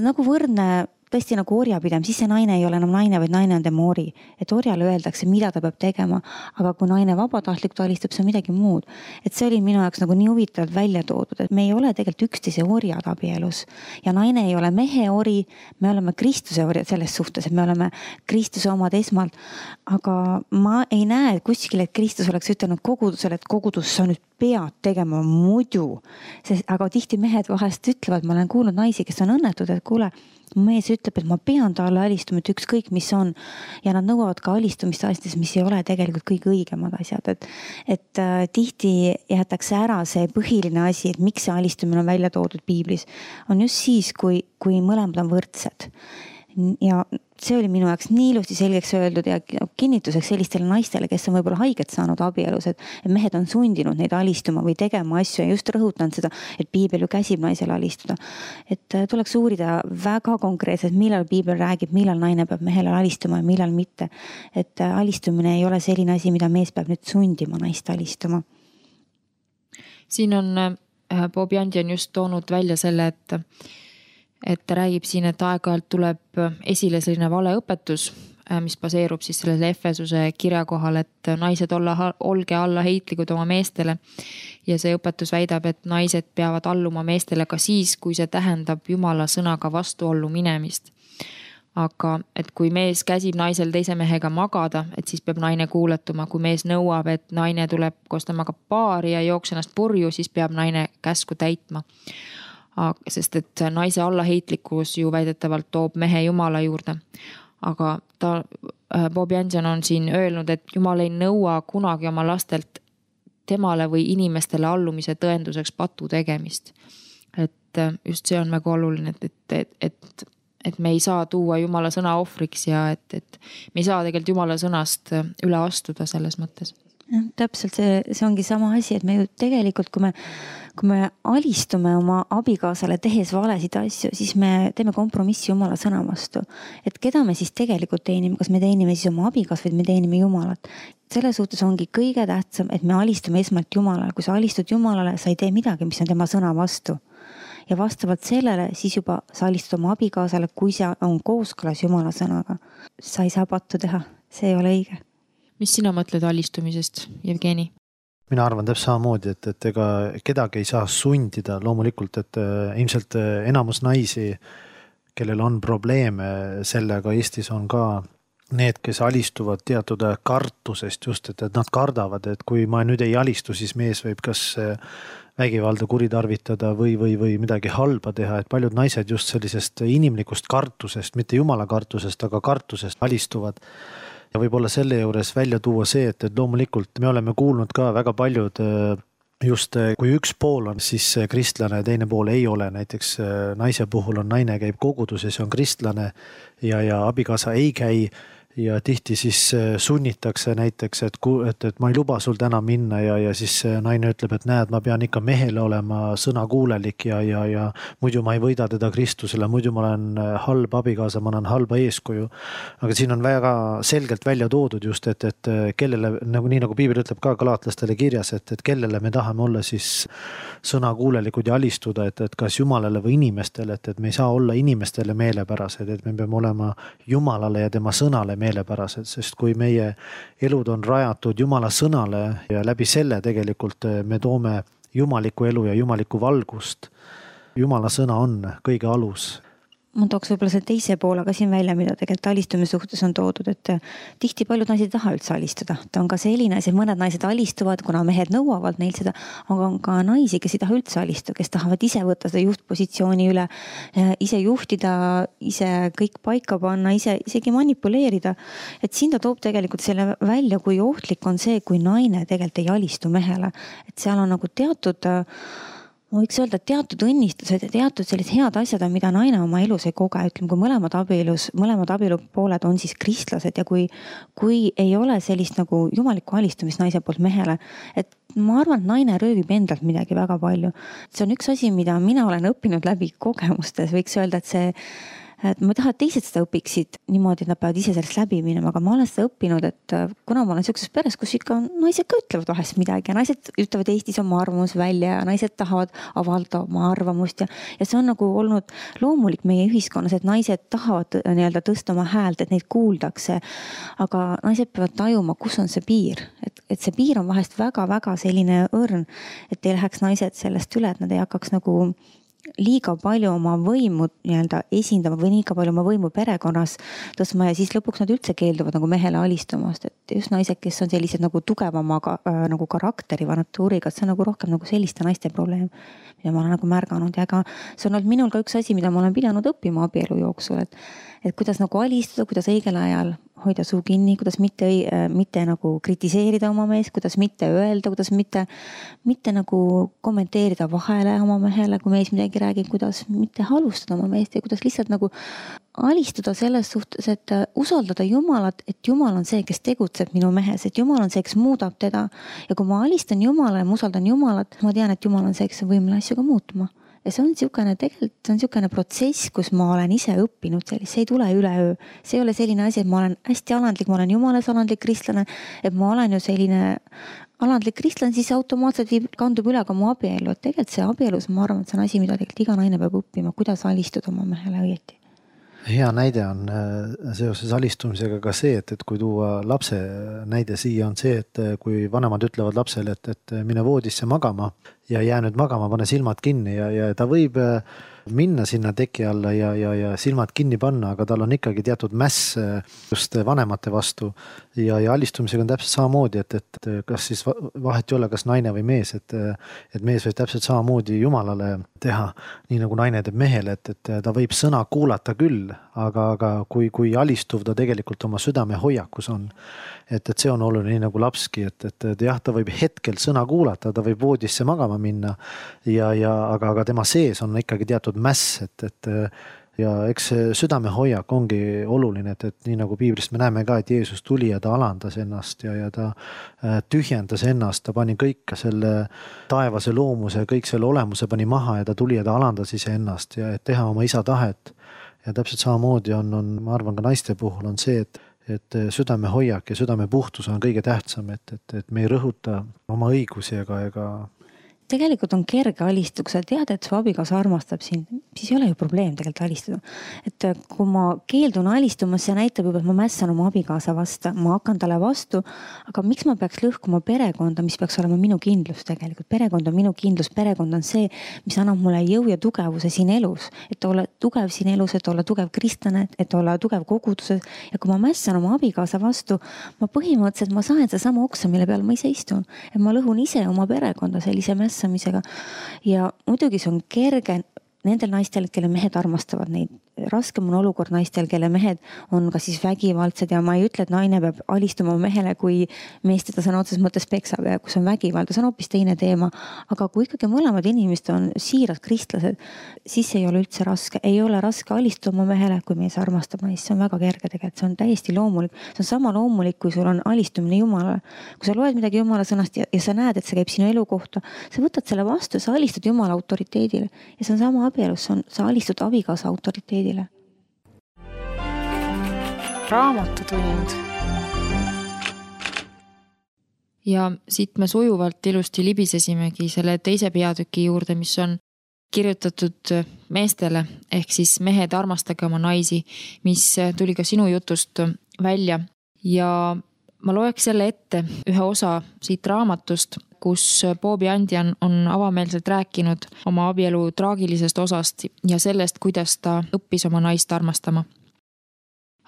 nagu võrdne, tõesti nagu orjapidem, siis see naine ei ole enam naine, vaid naine on tema ori. Et orjale öeldakse, mida ta peab tegema, aga kui naine vabatahtlik alistub, see on midagi muud. Et see oli minu jaoks nagu nii huvitavalt välja toodud, et me ei ole tegelikult üksteise orjad abielus. Ja naine ei ole mehe ori, me oleme Kristuse orjad selles suhtes, et me oleme Kristuse omad esmalt. Aga ma ei näe kuskil, et Kristus oleks ütelnud kogudusele, et kogudus sa nüüd pead tegema muidu. Aga tihti mehed vahest ütlevad, ma olen kuulnud naisi, kes on õnnetud, et kuule, mees ütleb, et ma pean talle alistuma, et ükskõik mis on. Ja nad nõuavad ka alistumist asjades, mis ei ole tegelikult kõige õigemad asjad. Et tihti jäetakse ära see põhiline asi, et miks see alistumine on välja toodud piiblis. On just siis, kui mõlemad on võrdsed. Ja see oli minu jaoks nii ilusti selgeks öeldud ja kinnituseks sellistele naistele, kes on võib-olla haiget saanud abielus, et mehed on sundinud neid alistuma või tegema asju ja just rõhutan seda, et piibel ju käsib naisele alistuda. Et tuleks uurida väga konkreetselt, millal piibel räägib, millal naine peab mehele alistuma ja millal mitte. Et alistumine ei ole selline asi, mida mees peab nüüd sundima naist alistuma. Siin on Bob Jansen just toonud välja selle, et ta räägib siin, et aeg-ajalt tuleb esile selline valeõpetus, mis baseerub siis sellele Efesuse kirja kohal, et naised olge alla heitlikud oma meestele. Ja see õpetus väidab, et naised peavad alluma meestele ka siis, kui see tähendab Jumala sõnaga vastuollu minemist. Aga et kui mees käsib naisel teise mehega magada, et siis peab naine kuuletuma. Kui mees nõuab, et naine tuleb koos temaga paari ja jookse ennast purju, siis peab naine käsku täitma. Sest et naise allaheitlikkus ju väidetavalt toob mehe Jumala juurde. Aga Bob Jansen on siin öelnud, et Jumal ei nõua kunagi oma lastelt temale või inimestele allumise tõenduseks patu tegemist. Et just see on väga oluline, et me ei saa tuua Jumala sõna ohvriks ja et me ei saa tegelikult Jumala sõnast üle astuda selles mõttes. Ja, täpselt see ongi sama asi, et me ju tegelikult, kui me alistume oma abikaasale tehes valesid asju, siis me teeme kompromissi Jumala sõna vastu. Et keda me siis tegelikult teenime, kas me teenime siis oma abikaas või me teenime Jumalat. Selle suhtes ongi kõige tähtsam, et me alistume esmalt Jumalale. Kui sa alistud Jumalale, sa ei tee midagi, mis on tema sõna vastu. Ja vastavalt sellele siis juba sa alistud oma abikaasale, kui see on kooskõlas Jumala sõnaga. Sa ei saa pattu teha, see ei ole õige. Mis sina mõtled alistumisest, Jevgeni? Mina arvan täpselt samamoodi, et ega kedagi ei saa sundida loomulikult, et ilmselt enamus naisi, kellel on probleeme sellega, Eestis on ka need, kes alistuvad teatud kartusest just, et nad kardavad, et kui ma nüüd ei alistu, siis mees võib kas vägivalda kuritarvitada või midagi halba teha, et paljud naised just sellisest inimlikust kartusest, mitte Jumala kartusest, aga kartusest alistuvad. Ja võib-olla selle juures välja tuua see, et loomulikult me oleme kuulnud ka väga paljud just kui üks pool on siis kristlane ja teine pool ei ole. Näiteks naise puhul on naine käib koguduses, on kristlane ja abikaasa ei käi. Ja tihti siis sunnitakse näiteks, et ma ei luba sul täna minna ja siis naine ütleb, et näed, ma pean ikka mehele olema sõnakuulelik ja muidu ma ei võida teda Kristusele, muidu ma olen halb abikaasa, ma olen halba eeskuju. Aga siin on väga selgelt välja toodud just, et kellele, nii nagu piibel ütleb ka galaatlastele kirjas, et kellele me tahame olla siis sõnakuulelikud ja alistuda, et kas Jumalale või inimestele, et me ei saa olla inimestele meelepärased, et me peame olema Jumalale ja tema sõnale meelepärased, sest kui meie elud on rajatud Jumala sõnale ja läbi selle tegelikult me toome jumalikku elu ja jumalikku valgust. Jumala sõna on kõige alus. Ma tooks võib-olla see teise poole ka siin välja, mida tegelikult alistumise suhtes on toodud, et tihti paljud naised ei taha üldse alistuda. Ta on ka selline asi, mõned naised alistuvad, kuna mehed nõuavad neil seda, aga on ka naisi, kes ei taha üldse alistuda, kes tahavad ise võtta seda juhtpositsiooni üle, ise juhtida, ise kõik paika panna, isegi manipuleerida. Et siin ta toob tegelikult selle välja, kui ohtlik on see, kui naine tegelikult ei alistu mehele. Et seal on nagu teatud ma võiks öelda, et teatud õnnistused ja teatud sellised head asjad on, mida naine oma elus ei koge. Ütleme, kui mõlemad abielupooled on siis kristlased ja kui ei ole sellist nagu jumalikku alistumist naise poolt mehele, et ma arvan, et naine röövib endalt midagi väga palju. See on üks asi, mida mina olen õppinud läbi kogemustes. Võiks öelda, et ma tahan, et teised seda õpiksid niimoodi, et nad peavad ise sellest läbi minema, aga ma olen seda õppinud, et kuna ma olen sellises peres, kus ikka naised ka ütlevad vahest midagi ja naised ütlevad Eestis oma arvamus välja ja naised tahavad avaldada oma arvamust ja see on nagu olnud loomulik meie ühiskonnas, et naised tahavad nii-öelda tõsta oma häält, et neid kuuldakse, aga naised peavad tajuma, kus on see piir, et see piir on vahest väga-väga selline õrn, et ei läheks naised sellest üle, et nad ei hakkaks nagu liiga palju oma võimu nii-öelda esindama või liiga palju oma võimu perekonnas tõstma ja siis lõpuks nad üldse keelduvad nagu mehele alistumast, et just naised, kes on sellised nagu tugevama nagu karakteri või natuuriga, et see on nagu rohkem nagu selliste naiste probleem, mida ma olen nagu märganud ja ega see on olnud minul ka üks asi, mida ma olen pidanud õppima abielu jooksul, et kuidas nagu alistuda, kuidas õigel ajal hoida suu kinni, kuidas mitte nagu kritiseerida oma meest, kuidas mitte öelda, kuidas mitte nagu kommenteerida vahele oma mehele, kui mees midagi räägib, kuidas mitte halustada oma meest ja kuidas lihtsalt nagu alistuda selles suhtes, et usaldada Jumalat, et Jumal on see, kes tegutseb minu mehes, et Jumal on see, kes muudab teda ja kui ma alistan Jumalale ja ma usaldan Jumalat, ma tean, et Jumal on see, kes on võimeline asju ka muutma. Ja see on niisugune protsess, kus ma olen ise õppinud sellist, see ei tule üleöö. See ei ole selline asi, et ma olen hästi alandlik, ma olen Jumalas alandlik kristlane, et ma olen ju selline alandlik kristlane, siis automaatselt kandub üle ka mu abielu. Et tegelikult see abielus, ma arvan, et see on asi, mida tegelikult iga naine peab õppima, kuidas alistuda oma mehele õieti. Hea näide on seoses alistumisega ka see, et kui tuua lapse näide siia on see, et kui vanemad ütlevad lapsele, et mine voodisse magama ja jää nüüd magama, pane silmad kinni ja ta võib minna sinna teki alla ja silmad kinni panna, aga tal on ikkagi teatud mäss just vanemate vastu ja alistumisega on täpselt samamoodi, et kas siis vahet ei ole, kas naine või mees, et mees võib täpselt samamoodi Jumalale teha, nii nagu naine teeb mehele, et ta võib sõna kuulata küll, aga kui alistuv ta tegelikult oma südame hoiakus on, et see on oluline, nii nagu lapski, et jah, ta võib hetkel sõna kuulata, ta võib voodisse magama minna aga tema sees on ikkagi teatud mäss, ja eks südame hoiak ongi oluline, et nii nagu piiblist me näeme ka, et Jeesus tuli ja ta alandas ennast ja ta tühjendas ennast, ta pani kõik selle taevase loomuse, kõik selle olemuse pani maha ja ta tuli ja ta alandas ise ennast ja et teha oma isa tahet. Ja täpselt samamoodi on, ma arvan ka naiste puhul on see, et südame hoiak ja südame puhtus on kõige tähtsam, et me ei rõhuta oma õigusi ega tegelikult on kerge alistuda, kui sa tead, et su abikaasa armastab sind, siis ei ole ju probleem tegelikult alistuda. Et kui ma keeldun alistumas, see näitab juba, et ma mässan oma abikaasa vastu, ma hakkan talle vastu, aga miks ma peaks lõhkuma perekonda, mis peaks olema minu kindlus tegelikult? Perekond on minu kindlus, perekond on see, mis annab mulle jõu ja tugevuse siin elus, et olla tugev siin elus, et olla tugev kristlane, et olla tugev koguduses ja kui ma mässan oma abikaasa vastu, ma põhimõtteliselt ma saan seda sama oksa, mille peal ma ise istun, et ma lõhun ise oma perekonda sellise mässamisega ja muidugi see on kerge nendel naistel, kelle mehed armastavad neid. Raskem on olukord naistel, kelle mehed on ka siis vägivaldsed ja ma ei ütle, et naine peab alistuma mehele, kui mees teda sõna otseses mõttes peksab ja kus on vägivald, see on hoopis teine teema. Aga kui ikkagi mõlemad inimesed on siirad kristlased, siis ei ole üldse raske. Ei ole raske alistuda oma mehele, kui mees armastab naist. See on väga kerge tegelikult, see on täiesti loomulik. See on sama loomulik, kui sul on alistumine Jumalale. Kui sa loed midagi Jumala sõnast ja sa näed, et see käib sinu elu kohta, sa võtad selle vastu, sa alistad Jumala autoriteedile ja see on sama abielus, sa alistud abikaasa autoriteedile. Raamatutund. Ja siit me sujuvalt ilusti libisesimegi selle teise peatüki juurde, mis on kirjutatud meestele, ehk siis mehed armastage oma naisi, mis tuli ka sinu jutust välja ja ma loeks jälle ette ühe osa siit raamatust, kus Bobby Andian on avameelselt rääkinud oma abielu traagilisest osast ja sellest, kuidas ta õppis oma naist armastama.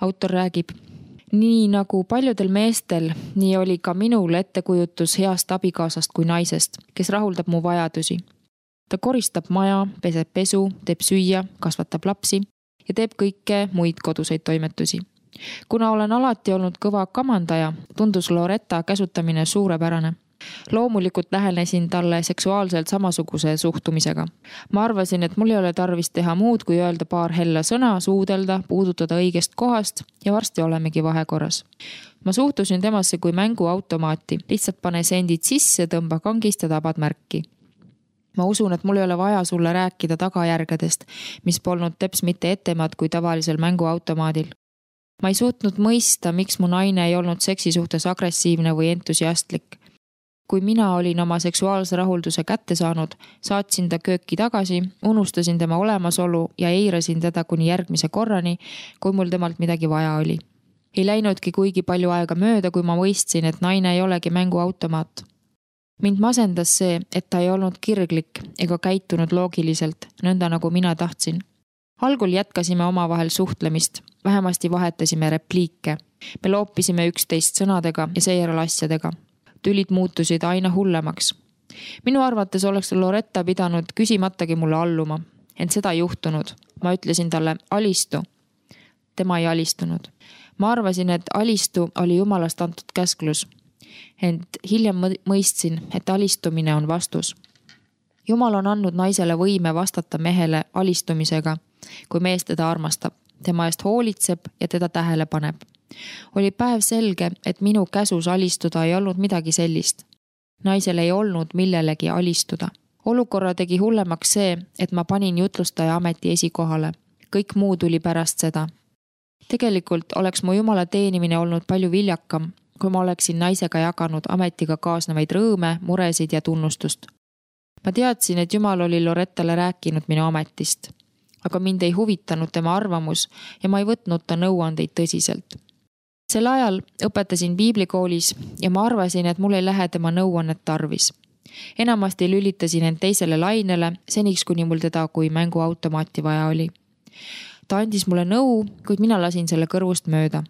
Autor räägib: nii nagu paljudel meestel, nii oli ka minul ettekujutus heast abikaasast kui naisest, kes rahuldab mu vajadusi. Ta koristab maja, peseb pesu, teeb süüa, kasvatab lapsi ja teeb kõike muid koduseid toimetusi. Kuna olen alati olnud kõva kamandaja, tundus Loretta käsutamine suurepärane. Loomulikult lähenesin talle seksuaalselt samasuguse suhtumisega. Ma arvasin, et mul ei ole tarvis teha muud, kui öelda paar hella sõna, suudelda, puudutada õigest kohast ja varsti olemegi vahekorras. Ma suhtusin temasse kui mänguautomaati. Lihtsalt pane sendid sisse, tõmba kangist ja tabad märki. Ma usun, et mul ei ole vaja sulle rääkida tagajärgedest, mis polnud teps mitte ettemad kui tavalisel mänguautomaadil. Ma ei suutnud mõista, miks mu naine ei olnud seksi suhtes agressiivne või entusiastlik. Kui mina olin oma seksuaalse rahulduse kätte saanud, saatsin ta kööki tagasi, unustasin tema olemasolu ja eirasin teda kuni järgmise korrani, kui mul temalt midagi vaja oli. Ei läinudki kuigi palju aega mööda, kui ma mõistsin, et naine ei olegi mänguautomaat. Mind masendas see, et ta ei olnud kirglik ega käitunud loogiliselt, nõnda nagu mina tahtsin. Algul jätkasime omavahel suhtlemist, vähemasti vahetasime repliike. Me loopisime üksteist sõnadega ja seejärel asjadega. Tülid muutusid aina hullemaks. Minu arvates oleks Loretta pidanud küsimatagi mulle alluma, ent seda ei juhtunud. Ma ütlesin talle alistu. Tema ei alistunud. Ma arvasin, et alistu oli Jumalast antud käsklus. Ent hiljem mõistsin, et alistumine on vastus. Jumal on andnud naisele võime vastata mehele alistumisega, kui mees teda armastab, tema eest hoolitseb ja teda tähele paneb. Oli päev selge, et minu käsus alistuda ei olnud midagi sellist. Naisel ei olnud millelegi alistuda. Olukorra tegi hullemaks see, et ma panin jutlustaja ameti esikohale. Kõik muu tuli pärast seda. Tegelikult oleks mu Jumala teenimine olnud palju viljakam, kui ma oleksin naisega jaganud ametiga kaasnevaid rõõme, muresid ja tunnustust. Ma teadsin, et Jumal oli Lorettale rääkinud minu ametist, aga mind ei huvitanud tema arvamus ja ma ei võtnud ta nõuandeid tõsiselt. Sel ajal õpetasin piiblikoolis ja ma arvasin, et mul ei lähe tema nõuannet tarvis. Enamasti lülitasin end teisele lainele, seniks kuni mul teda kui mänguautomaati vaja oli. Ta andis mulle nõu, kuid mina lasin selle kõrvust mööda.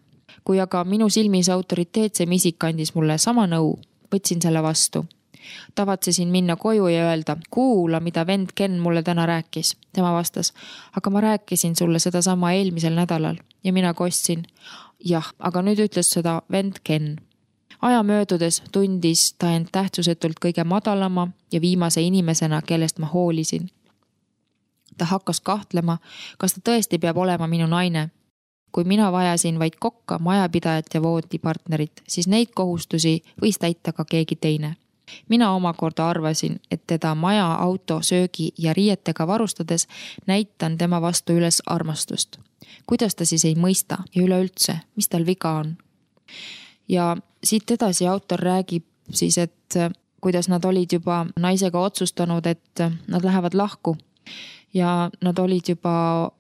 Kui aga minu silmis autoriteetsem isik andis mulle sama nõu, võtsin selle vastu. Tavatsesin minna koju ja öelda, kuula, mida vend Ken mulle täna rääkis. Tema vastas, aga ma rääkisin sulle seda sama eelmisel nädalal ja mina kostsin, jah, aga nüüd ütles seda vend Ken. Aja möödudes tundis ta end tähtsusetult kõige madalama ja viimase inimesena, kellest ma hoolisin. Ta hakkas kahtlema, kas ta tõesti peab olema minu naine. Kui mina vajasin vaid kokka, majapidajat ja voodipartnerit, siis neid kohustusi võis täita ka keegi teine. Mina omakorda arvasin, et teda maja, auto, söögi ja riietega varustades näitan tema vastu üles armastust. Kuidas ta siis ei mõista ja üleüldse, mis tal viga on? Ja siit edasi autor räägib siis, et kuidas nad olid juba naisega otsustanud, et nad lähevad lahku. Ja nad olid juba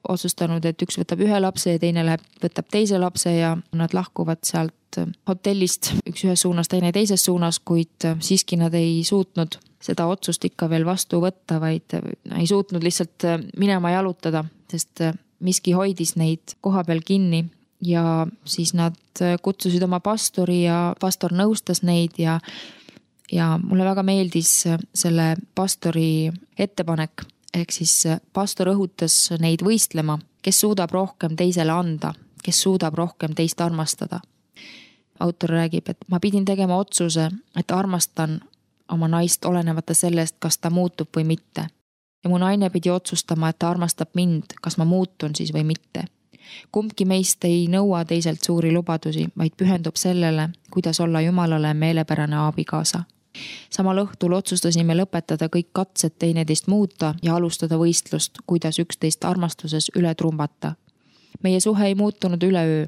otsustanud, et üks võtab ühe lapse ja teine võtab teise lapse ja nad lahkuvad sealt hotellist üks ühes suunas, teine teises suunas, kuid siiski nad ei suutnud seda otsust ikka veel vastu võtta, vaid ei suutnud lihtsalt minema jalutada, sest miski hoidis neid koha peal kinni ja siis nad kutsusid oma pastori ja pastor nõustas neid ja mulle väga meeldis selle pastori ettepanek. Ehk siis pastor õhutas neid võistlema, kes suudab rohkem teisele anda, kes suudab rohkem teist armastada. Autor räägib, et ma pidin tegema otsuse, et armastan oma naist olenemata sellest, kas ta muutub või mitte. Ja mu naine pidi otsustama, et ta armastab mind, kas ma muutun siis või mitte. Kumbki meist ei nõua teiselt suuri lubadusi, vaid pühendub sellele, kuidas olla Jumalale meelepärane abikaasa. Samal õhtul otsustasime lõpetada kõik katsed teineteist muuta ja alustada võistlust, kuidas üksteist armastuses üle trumbata. Meie suhe ei muutunud üleöö,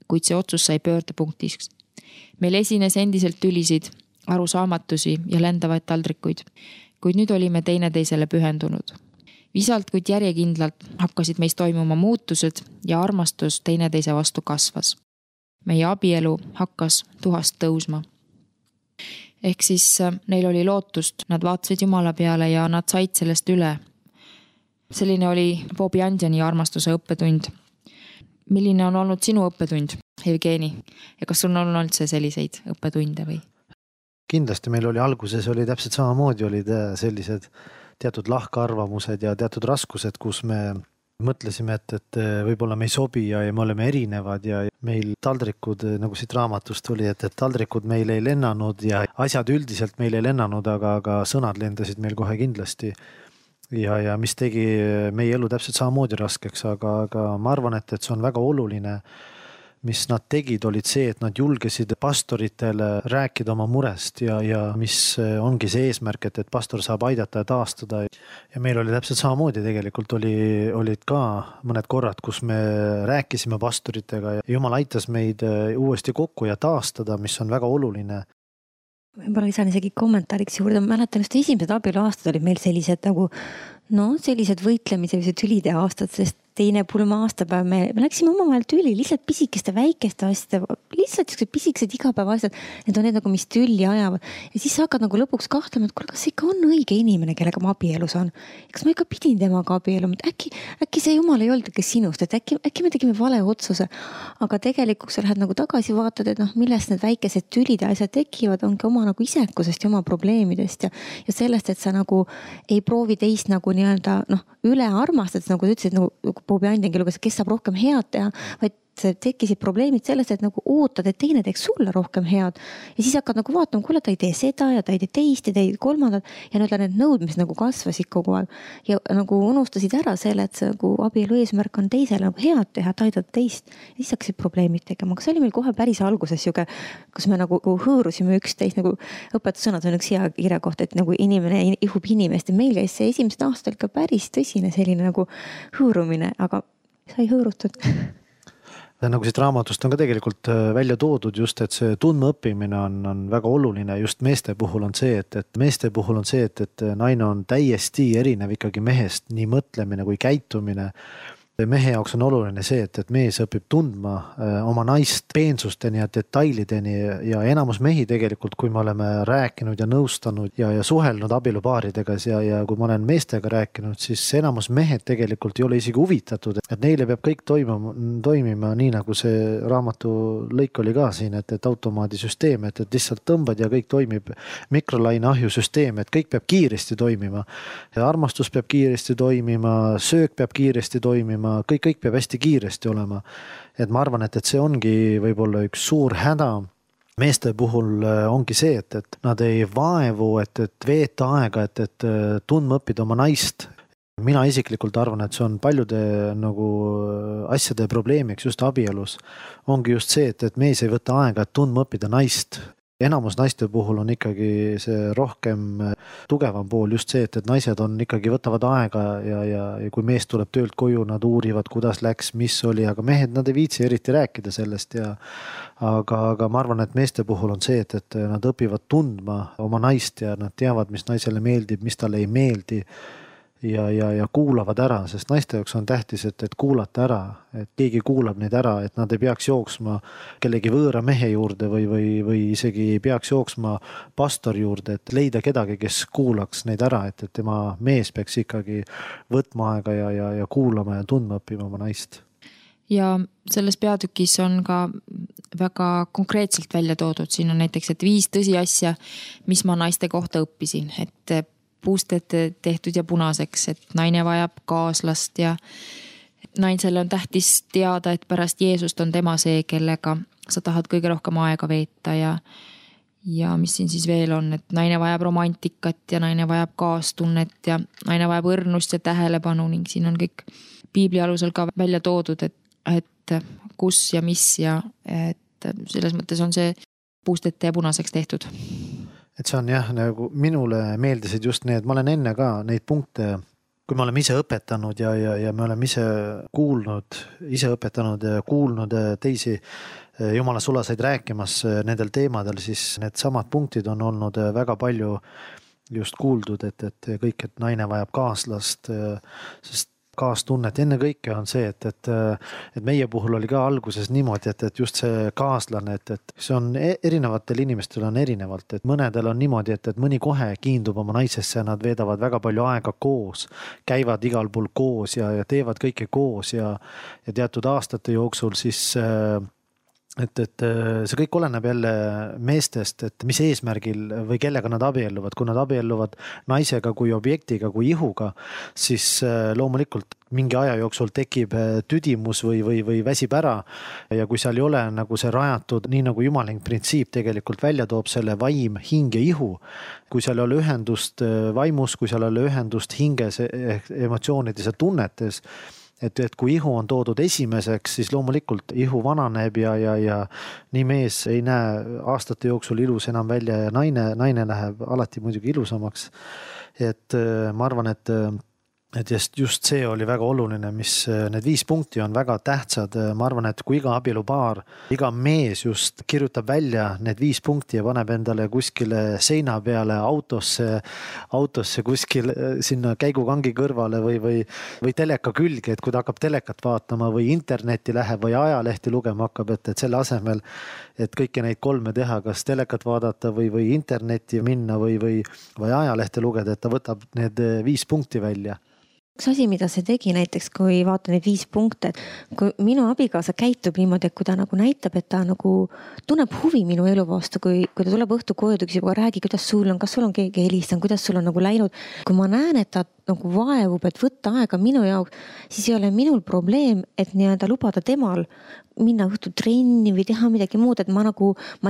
kuid see otsus sai pöördepunktiks. Meil esines endiselt tülisid, arusaamatusi ja lendavaid taldrikuid, kuid nüüd olime teineteisele pühendunud. Visalt, kuid järjekindlalt hakkasid meist toimuma muutused ja armastus teineteise vastu kasvas. meie abielu hakkas tuhast tõusma. Ehk siis neil oli lootust, nad vaatasid Jumala peale ja nad said sellest üle. Selline oli Bobby Andiani armastuse õppetund. Milline on olnud sinu õppetund, Jevgeni? Ja kas sul on olnud üldse selliseid õppetunde või? Kindlasti meil oli alguses oli täpselt samamoodi olid sellised teatud lahkarvamused ja teatud raskused, kus me mõtlesime, et võib-olla me ei sobi ja me oleme erinevad ja meil taldrikud, nagu siit raamatust oli, et taldrikud meil ei lennanud ja asjad üldiselt meil ei lennanud, aga sõnad lendasid meil kohe kindlasti. Ja mis tegi meie elu täpselt samamoodi raskeks, aga ma arvan, et see on väga oluline, mis nad tegid, olid see, et nad julgesid pastoritele rääkida oma murest ja mis ongi see eesmärk, et pastor saab aidata ja taastada. Ja meil oli täpselt samamoodi tegelikult olid ka mõned korrad, kus me rääkisime pastoritega ja Jumal aitas meid uuesti kokku ja taastada, mis on väga oluline. Võib-olla lisan isegi kommentaariks juurde, ma mäletan just esimesed abielu aastad olid meil sellised nagu sellised võitlemise või tülide aastad, sest teine pulma aastapäev me läksime omavahel tüli, lihtsalt pisikeste väikeste asjade, lihtsalt pisikesed igapäeva asjad, need on need nagu, mis tülli ajavad. Ja siis sa hakkad nagu lõpuks kahtlema, et kuule, kas ikka on õige inimene, kellega ma abielus on. Kas ma ikka pidin temaga abieluma, äkki see Jumal ei olnud ikka sinust, et äkki me tegime vale otsuse. Aga tegelikult sa lähed nagu tagasi vaatad, et millest need väikesed tülid ja asjad tekivad, ongi oma nagu isekusest ja oma probleemidest ja sellest, et sa nagu ei proovi teist nagu nii-öelda üle armastad, nagu sa ütlesid, nagu Bobby Andiangi luges, kes saab rohkem head teha, vaid tekkisid probleemid sellest, et nagu ootad, et teine teeks sulle rohkem head. Ja siis hakkad nagu vaatama, kuule, ta ei tee seda ja ta ei tee teist ja ta ei kolmandat ja need nõudmised nagu kasvasid kogu aeg. Ja nagu unustasid ära selle, et see nagu abielu eesmärk on teisele nagu head teha, et aidata teist. Ja siis hakkasid probleemid tegema. Aga see oli meil kohe päris alguses juge, kus me nagu hõõrusime üksteist, nagu õpetussõnad on üks hea kirja kohta, et nagu inimene ihub inimest. Ja meil käis see esimesed aastad ka päris tõsine selline nagu hõõrumine, aga sai hõõrutud. Nagu siit raamatust on ka tegelikult välja toodud just, et see tundmaõppimine on väga oluline. Just meeste puhul on see, et naine on täiesti erinev ikkagi mehest, nii mõtlemine kui käitumine. Mehe jaoks on oluline see, et mees õpib tundma oma naist peensusteni ja detailideni ja enamus mehi tegelikult, kui me oleme rääkinud ja nõustanud ja suhelnud abielupaaridega ja kui ma olen meestega rääkinud, siis enamus mehed tegelikult ei ole isegi huvitatud, et neile peab kõik toimima nii, nagu see raamatu lõik oli ka siin, et automaadisüsteem, et lihtsalt tõmbad ja kõik toimib, mikrolaine ahjusüsteem, et kõik peab kiiresti toimima. Ja armastus peab kiiresti toimima, söök peab kiiresti toimima, kõik peab hästi kiiresti olema. Et ma arvan, et see ongi võib-olla üks suur häda. Meeste puhul ongi see, et nad ei vaevu, et veeta aega, et tundma õppida oma naist. Mina isiklikult arvan, et see on paljude nagu asjade probleemiks just abielus. Ongi just see, et mees ei võta aega, et tundma õppida naist. Enamus naiste puhul on ikkagi see rohkem tugevam pool just see, et naised on ikkagi võtavad aega ja kui mees tuleb töölt koju, nad uurivad, kuidas läks, mis oli, aga mehed, nad ei viitsi eriti rääkida sellest aga ma arvan, et meeste puhul on see, et nad õpivad tundma oma naist ja nad teavad, mis naisele meeldib, mis talle ei meeldi ja kuulavad ära, sest naiste jaoks on tähtis, et kuulata ära, et keegi kuulab neid ära, et nad ei peaks jooksma kellegi võõra mehe juurde või isegi ei peaks jooksma pastori juurde, et leida kedagi, kes kuulaks neid ära, et tema mees peaks ikkagi võtma aega ja kuulama ja tundma õppima oma naist. Ja selles peatükis on ka väga konkreetselt välja toodud, siin on näiteks, et 5 tõsiasja, mis ma naiste kohta õppisin, et puusted tehtud ja punaseks, et naine vajab kaaslast ja naisele on tähtis teada, et pärast Jeesust on tema see, kellega sa tahad kõige rohkem aega veeta ja mis siin siis veel on, et naine vajab romantikat ja naine vajab kaastunnet ja naine vajab õrnust ja tähelepanu ning siin on kõik piibli alusel ka välja toodud, et kus ja mis ja et selles mõttes on see puustete ja punaseks tehtud. Et see on jah, nagu minule meeldisid just need, ma olen enne ka neid punkte, kui me oleme ise õpetanud ja me oleme ise õpetanud ja kuulnud teisi Jumala sulaseid rääkimas nendel teemadel, siis need samad punktid on olnud väga palju just kuuldud, et kõik, et naine vajab kaaslast, sest kaastunnet, ennekõike on see, et meie puhul oli ka alguses niimoodi, et just see kaaslane, et see on erinevatel inimestel on erinevalt, et mõnedel on niimoodi, et mõni kohe kiindub oma naisesse ja nad veedavad väga palju aega koos, käivad igal pool koos ja teevad kõike koos ja teatud aastate jooksul siis et see kõik oleneb jälle meestest, et mis eesmärgil või kellega nad abielluvad. Kui nad abielluvad naisega kui objektiga, kui ihuga, siis loomulikult mingi aja jooksul tekib tüdimus või väsib ära. Ja kui seal ei ole nagu see rajatud, nii nagu jumaling printsiip tegelikult välja toob selle vaim, hing ja ihu, kui seal ei ole ühendust vaimus, kui seal ei ole ühendust hinges, emotsioonides ja tunnetes, et kui ihu on toodud esimeseks, siis loomulikult ihu vananeb ja nii mees ei näe aastate jooksul ilus enam välja ja naine läheb alati muidugi ilusamaks. Et ma arvan, et just see oli väga oluline, mis need 5 punkti on väga tähtsad. Ma arvan, et kui iga abielupaar, iga mees just kirjutab välja need 5 punkti ja paneb endale kuskile seina peale, autosse kuskil sinna käigukangi kõrvale või teleka külge, et kui ta hakkab telekat vaatama või internetti läheb või ajalehti lugema hakkab, et selle asemel, et kõiki neid 3 teha, kas telekat vaadata või internetti minna või ajalehte lugeda, et ta võtab need 5 punkti välja. Üks asi, mida see tegi näiteks, kui vaata neid 5 punkte, et kui minu abikaasa käitub niimoodi, et kui ta nagu näitab, et ta nagu tunneb huvi minu elu vastu, kui ta tuleb õhtu koju, ta küsib, räägi, kuidas sul on, kas sul on keegi helistanud, kuidas sul on nagu läinud. Kui ma näen, et ta nagu vaevub, et võtta aega minu jaoks, siis ei ole minul probleem, et nii-öelda lubada temal minna õhtu trenni või teha midagi muud, et ma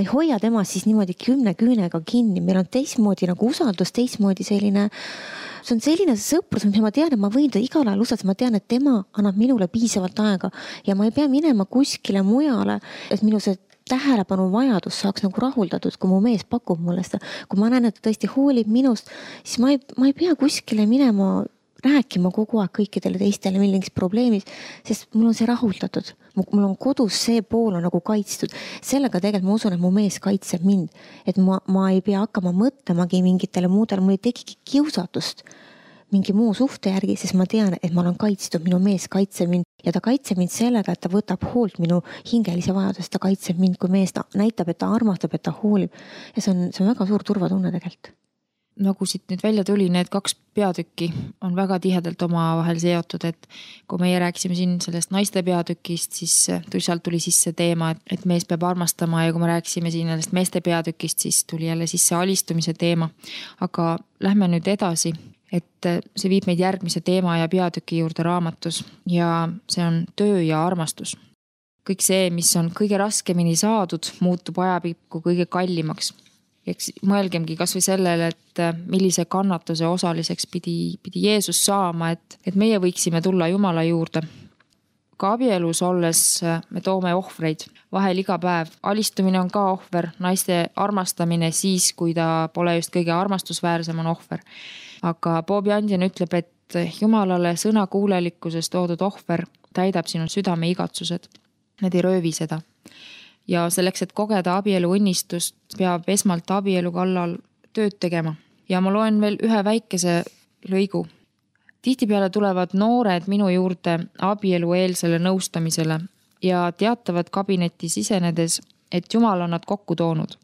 ei hoia tema siis niimoodi 10 küünega kinni. Meil on teistmoodi nagu usaldus, teistmoodi selline, see on selline sõprus, mis ma tean, et ma võin ta igal ajal usaldada, ma tean, et tema annab minule piisavalt aega ja ma ei pea minema kuskile mujale, et minu see tähelepanu vajadus saaks nagu rahuldatud, kui mu mees pakub mulle seda. Kui ma näen, et ta tõesti hoolib minust, siis ma ei pea kuskile minema rääkima kogu aeg kõikidele teistele millingis probleemis, sest mul on see rahuldatud. Mul on kodus see pool on nagu kaitstud. Sellega tegelikult ma usun, et mu mees kaitseb mind. Et ma ei pea hakkama mõtlemagi mingitele muudele, mul ei tekigi kiusatust mingi muu suhte järgi, sest ma tean, et ma olen kaitstud, minu mees kaitseb mind ja ta kaitseb mind sellega, et ta võtab hoolt minu hingelise vajadust, ta kaitseb mind, kui mees ta näitab, et ta armastab, et ta hoolib. Ja see on väga suur turvatunne tegelikult. Nagu siit nüüd välja tuli, need 2 peatükki on väga tihedalt omavahel seotud, et kui meie rääkisime siin sellest naiste peatükist, siis sealt tuli sisse teema, et mees peab armastama ja kui me rääkisime siin sellest meeste peatükist, siis tuli jälle sisse alistumise teema. Aga lähme nüüd edasi, et see viib meid järgmise teema ja peatüki juurde raamatus ja see on töö ja armastus. Kõik see, mis on kõige raskemini saadud, muutub ajapikku kõige kallimaks. Eks mõelgemgi kas või sellele, et millise kannatuse osaliseks pidi Jeesus saama, et meie võiksime tulla Jumala juurde. Ka abielus olles me toome ohvreid vahel iga päev. Alistumine on ka ohver, naiste armastamine siis, kui ta pole just kõige armastusväärsem on ohver. Aga Bob Jansen ütleb, et Jumalale sõna kuulelikkuses toodud ohver täidab sinu südame igatsused. Need ei röövi seda. Ja selleks, et kogeda abielu õnnistust, peab esmalt abielu kallal tööd tegema. Ja ma loen veel ühe väikese lõigu. Tihtipeale tulevad noored minu juurde abielu eelsele nõustamisele ja teatavad kabinetti sisenedes, et Jumal on nad kokku toonud.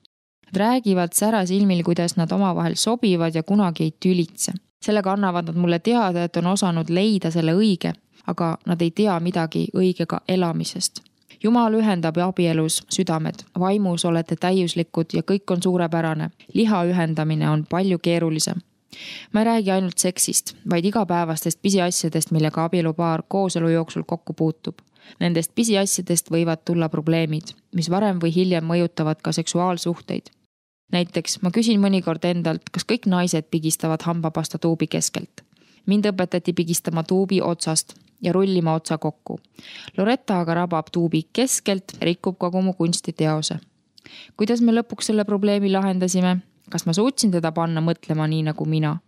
Nad räägivad säras ilmil, kuidas nad omavahel sobivad ja kunagi ei tülitse. Sellega annavad nad mulle teada, et on osanud leida selle õige, aga nad ei tea midagi õigega elamisest. Jumal ühendab abielus südamed, vaimus olete täiuslikud ja kõik on suurepärane. Liha ühendamine on palju keerulisem. Ma ei räägi ainult seksist, vaid igapäevastest pisiasjadest, millega abielupaar kooselu jooksul kokku puutub. Nendest pisiasjadest võivad tulla probleemid, mis varem või hiljem mõjutavad ka seksuaalsuhteid. Näiteks ma küsin mõnikord endalt, kas kõik naised pigistavad hambapasta tuubi keskelt. Mind õpetati pigistama tuubi otsast ja rullima otsa kokku. Loretta aga rabab tuubi keskelt, rikub kogu mu kunstiteose. Kuidas me lõpuks selle probleemi lahendasime? Kas ma suutsin teda panna mõtlema nii nagu mina?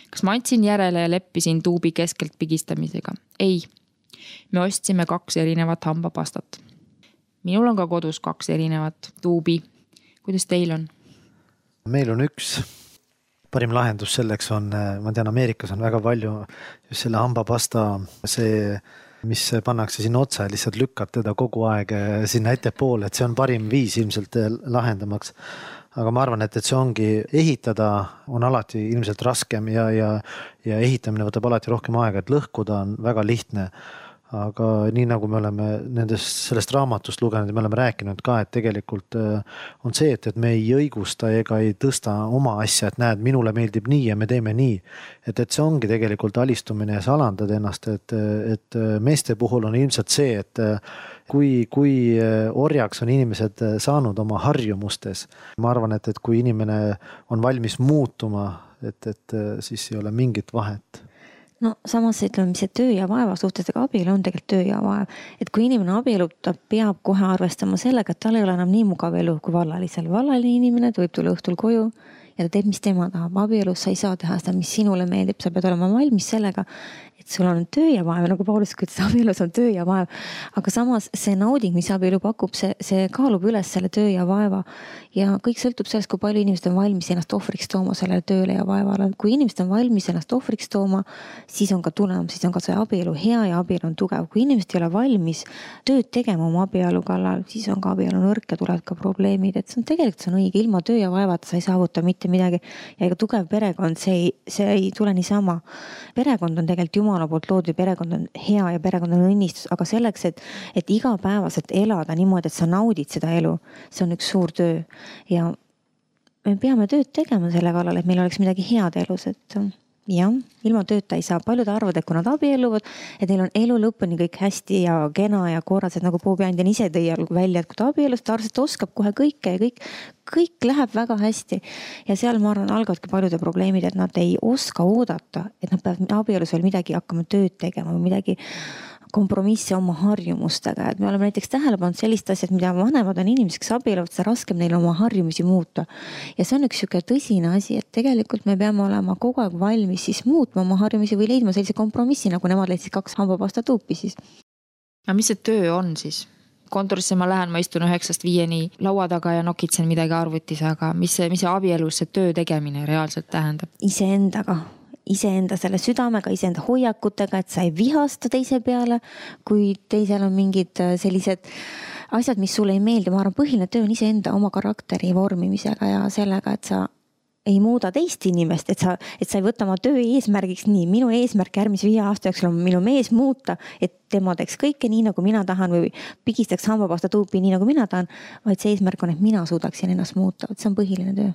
Kas ma andsin järele ja leppisin tuubi keskelt pigistamisega? Ei. Me ostsime 2 erinevat hambapastat. Minul on ka kodus 2 erinevat tuubi. Kuidas teil on? Meil on 1. parim lahendus selleks on, ma tean, Ameerikas on väga palju just selle hambapasta, see, mis pannakse sinna otsa ja lihtsalt lükkad teda kogu aeg sinna ettepoole, et see on parim viis ilmselt lahendamaks. Aga ma arvan, et see ongi, ehitada on alati ilmselt raskem ja ehitamine võtab alati rohkem aega, et lõhkuda on väga lihtne. Aga nii nagu me oleme sellest raamatust lugenud ja me oleme rääkinud ka, et tegelikult on see, et me ei õigusta ega ei tõsta oma asja, et näed, minule meeldib nii ja me teeme nii. Et see ongi tegelikult alistumine ja sa alandad ennast, et meeste puhul on ilmselt see, et kui orjaks on inimesed saanud oma harjumustes, ma arvan, et kui inimene on valmis muutuma, et siis ei ole mingit vahet. No samas ütleme, mis see töö ja vaeva suhtes, aga abielu on tegelikult töö ja vaev. Et kui inimene abielub, ta peab kohe arvestama sellega, et tal ei ole enam nii mugav elu kui vallalisel. Vallaline inimene, ta võib tulla õhtul koju ja ta teeb, mis tema tahab. Abielus sa ei saa teha seda, mis sinule meeldib. Sa pead olema valmis sellega, et sul on töö ja vaev, nagu Paulus ütles, abielus on töö ja vaev. Aga samas see nauding, mis abielu pakub, see kaalub üles selle töö ja vaeva. Ja kõik sõltub sellest, kui palju inimesed on valmis ennast ohvriks tooma sellele tööle ja vaevale. Kui inimesed on valmis ennast ohvriks tooma, siis on ka tulem, siis on ka see abielu hea ja abielu on tugev. Kui inimesed ei ole valmis tööd tegema oma abielu kallal, siis on ka abielu nõrk ja tulevad ka probleemid. Et see on tegelikult see on õige, ilma töö ja vaevata sa ei saavuta mitte midagi. Ja ega tugev perekond, see ei tule niisama. Perekond on tegelikult Jumala poolt loodud, perekond on hea ja perekond on õnnistus, aga selleks, et igapäevaselt elada niimoodi, et sa naudid seda elu, see on üks suur töö. Ja me peame tööd tegema selle kallal, et meil oleks midagi head elus, et jah, ilma tööta ei saa. Paljud arvavad, et kui nad abielluvad, et neil on elu lõpuni kõik hästi ja kena ja korras, et nagu Bobi Andjan ise tõi välja, et kui ta abiellus, ta arvas, et oskab kohe kõike ja kõik läheb väga hästi. Ja seal ma arvan, algavadki paljude probleemid, et nad ei oska oodata, et nad peavad abielus veel midagi hakkama tööd tegema või midagi kompromissi oma harjumustega. Et me oleme näiteks tähele pannud sellist asjad, mida vanemad on inimesed, kes abielluvad, seda raskem neil oma harjumusi muuta. Ja see on üks siuke tõsine asi, et tegelikult me peame olema kogu aeg valmis siis muutma oma harjumusi või leidma sellise kompromissi, nagu nemad leidsid 2 hambapasta tuupi siis. Ja mis see töö on siis? Kontorisse ma lähen, ma istun 9-5 laua taga ja nokitsen midagi arvutis, aga mis see abielus see töö tegemine reaalselt tähendab? Iseenda selle südamega, iseenda hoiakutega, et sa ei vihasta teise peale, kui teisel on mingid sellised asjad, mis sulle ei meeldi. Ma arvan, põhiline töö on iseenda oma karakteri vormimisega ja sellega, et sa ei muuda teist inimest, et sa ei võta oma töö eesmärgiks nii. Minu eesmärk järgmise 5 aasta jooksul on minu mees muuta, et tema teeks kõike nii, nagu mina tahan või pigistaks hambapasta tuupi nii, nagu mina tahan, vaid see eesmärk on, et mina suudaksin ennast muuta. See on põhiline töö.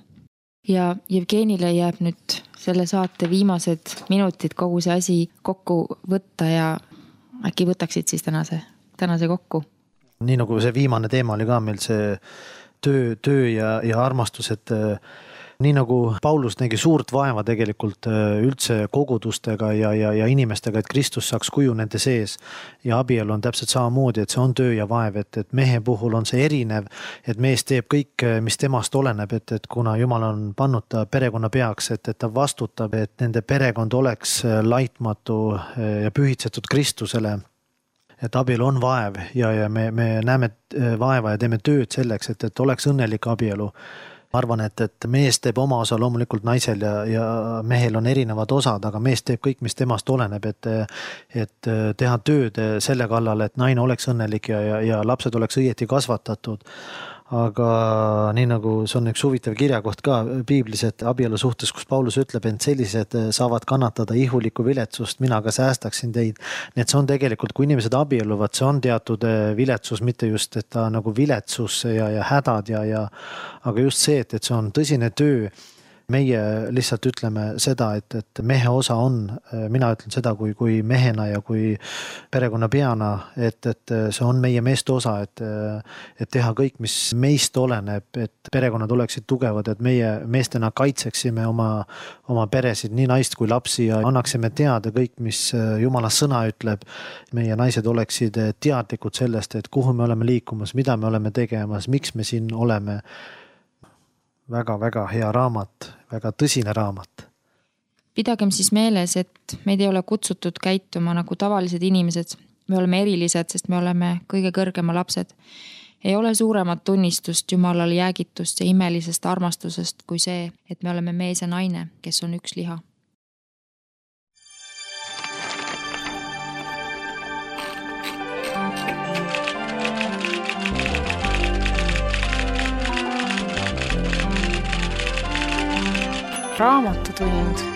Ja Jevgenile jääb nüüd selle saate viimased minutid kogu see asi kokku võtta ja äkki võtaksid siis tänase kokku? Nii nagu see viimane teema oli ka meil see töö ja armastus, et nii nagu Paulus nägi suurt vaeva tegelikult üldse kogudustega ja inimestega, et Kristus saaks kuju nende sees ja abielu on täpselt samamoodi, et see on töö ja vaev, et mehe puhul on see erinev, et mees teeb kõik, mis temast oleneb, et kuna Jumal on pannud ta perekonna peaks, et ta vastutab, et nende perekond oleks laitmatu ja pühitsetud Kristusele. Et abielu on vaev ja me näeme vaeva ja teeme tööd selleks, et oleks õnnelik abielu. Ma arvan, et mees teeb oma osa loomulikult naisel ja mehel on erinevad osad, aga mees teeb kõik, mis temast oleneb, et teha tööd selle kallal, et naine oleks õnnelik ja lapsed oleks õieti kasvatatud. Aga nii nagu see on üks huvitav kirjakoht ka piiblis, et abielu suhtes, kus Paulus ütleb, et sellised saavad kannatada ihulikku viletsust, mina ka säästaksin teid. Need see on tegelikult, kui inimesed abielluvad, see on teatud viletsus, mitte just, et ta nagu viletsus ja hädad aga just see, et see on tõsine töö. Meie lihtsalt ütleme seda, et mehe osa on, mina ütlen seda kui mehena ja kui perekonna peana, et see on meie meeste osa, et teha kõik, mis meist oleneb, et perekonnad oleksid tugevad, et meie meestena kaitseksime oma peresid, nii naist kui lapsi ja annaksime teada kõik, mis Jumala sõna ütleb. Meie naised oleksid teadlikud sellest, et kuhu me oleme liikumas, mida me oleme tegemas, miks me siin oleme. Väga hea raamat, väga tõsine raamat. Pidagem siis meeles, et meid ei ole kutsutud käituma nagu tavalised inimesed. Me oleme erilised, sest me oleme kõige kõrgema lapsed. Ei ole suuremat tunnistust Jumalale jäägitust ja imelisest armastusest kui see, et me oleme mees ja naine, kes on üks liha. Raamatutund.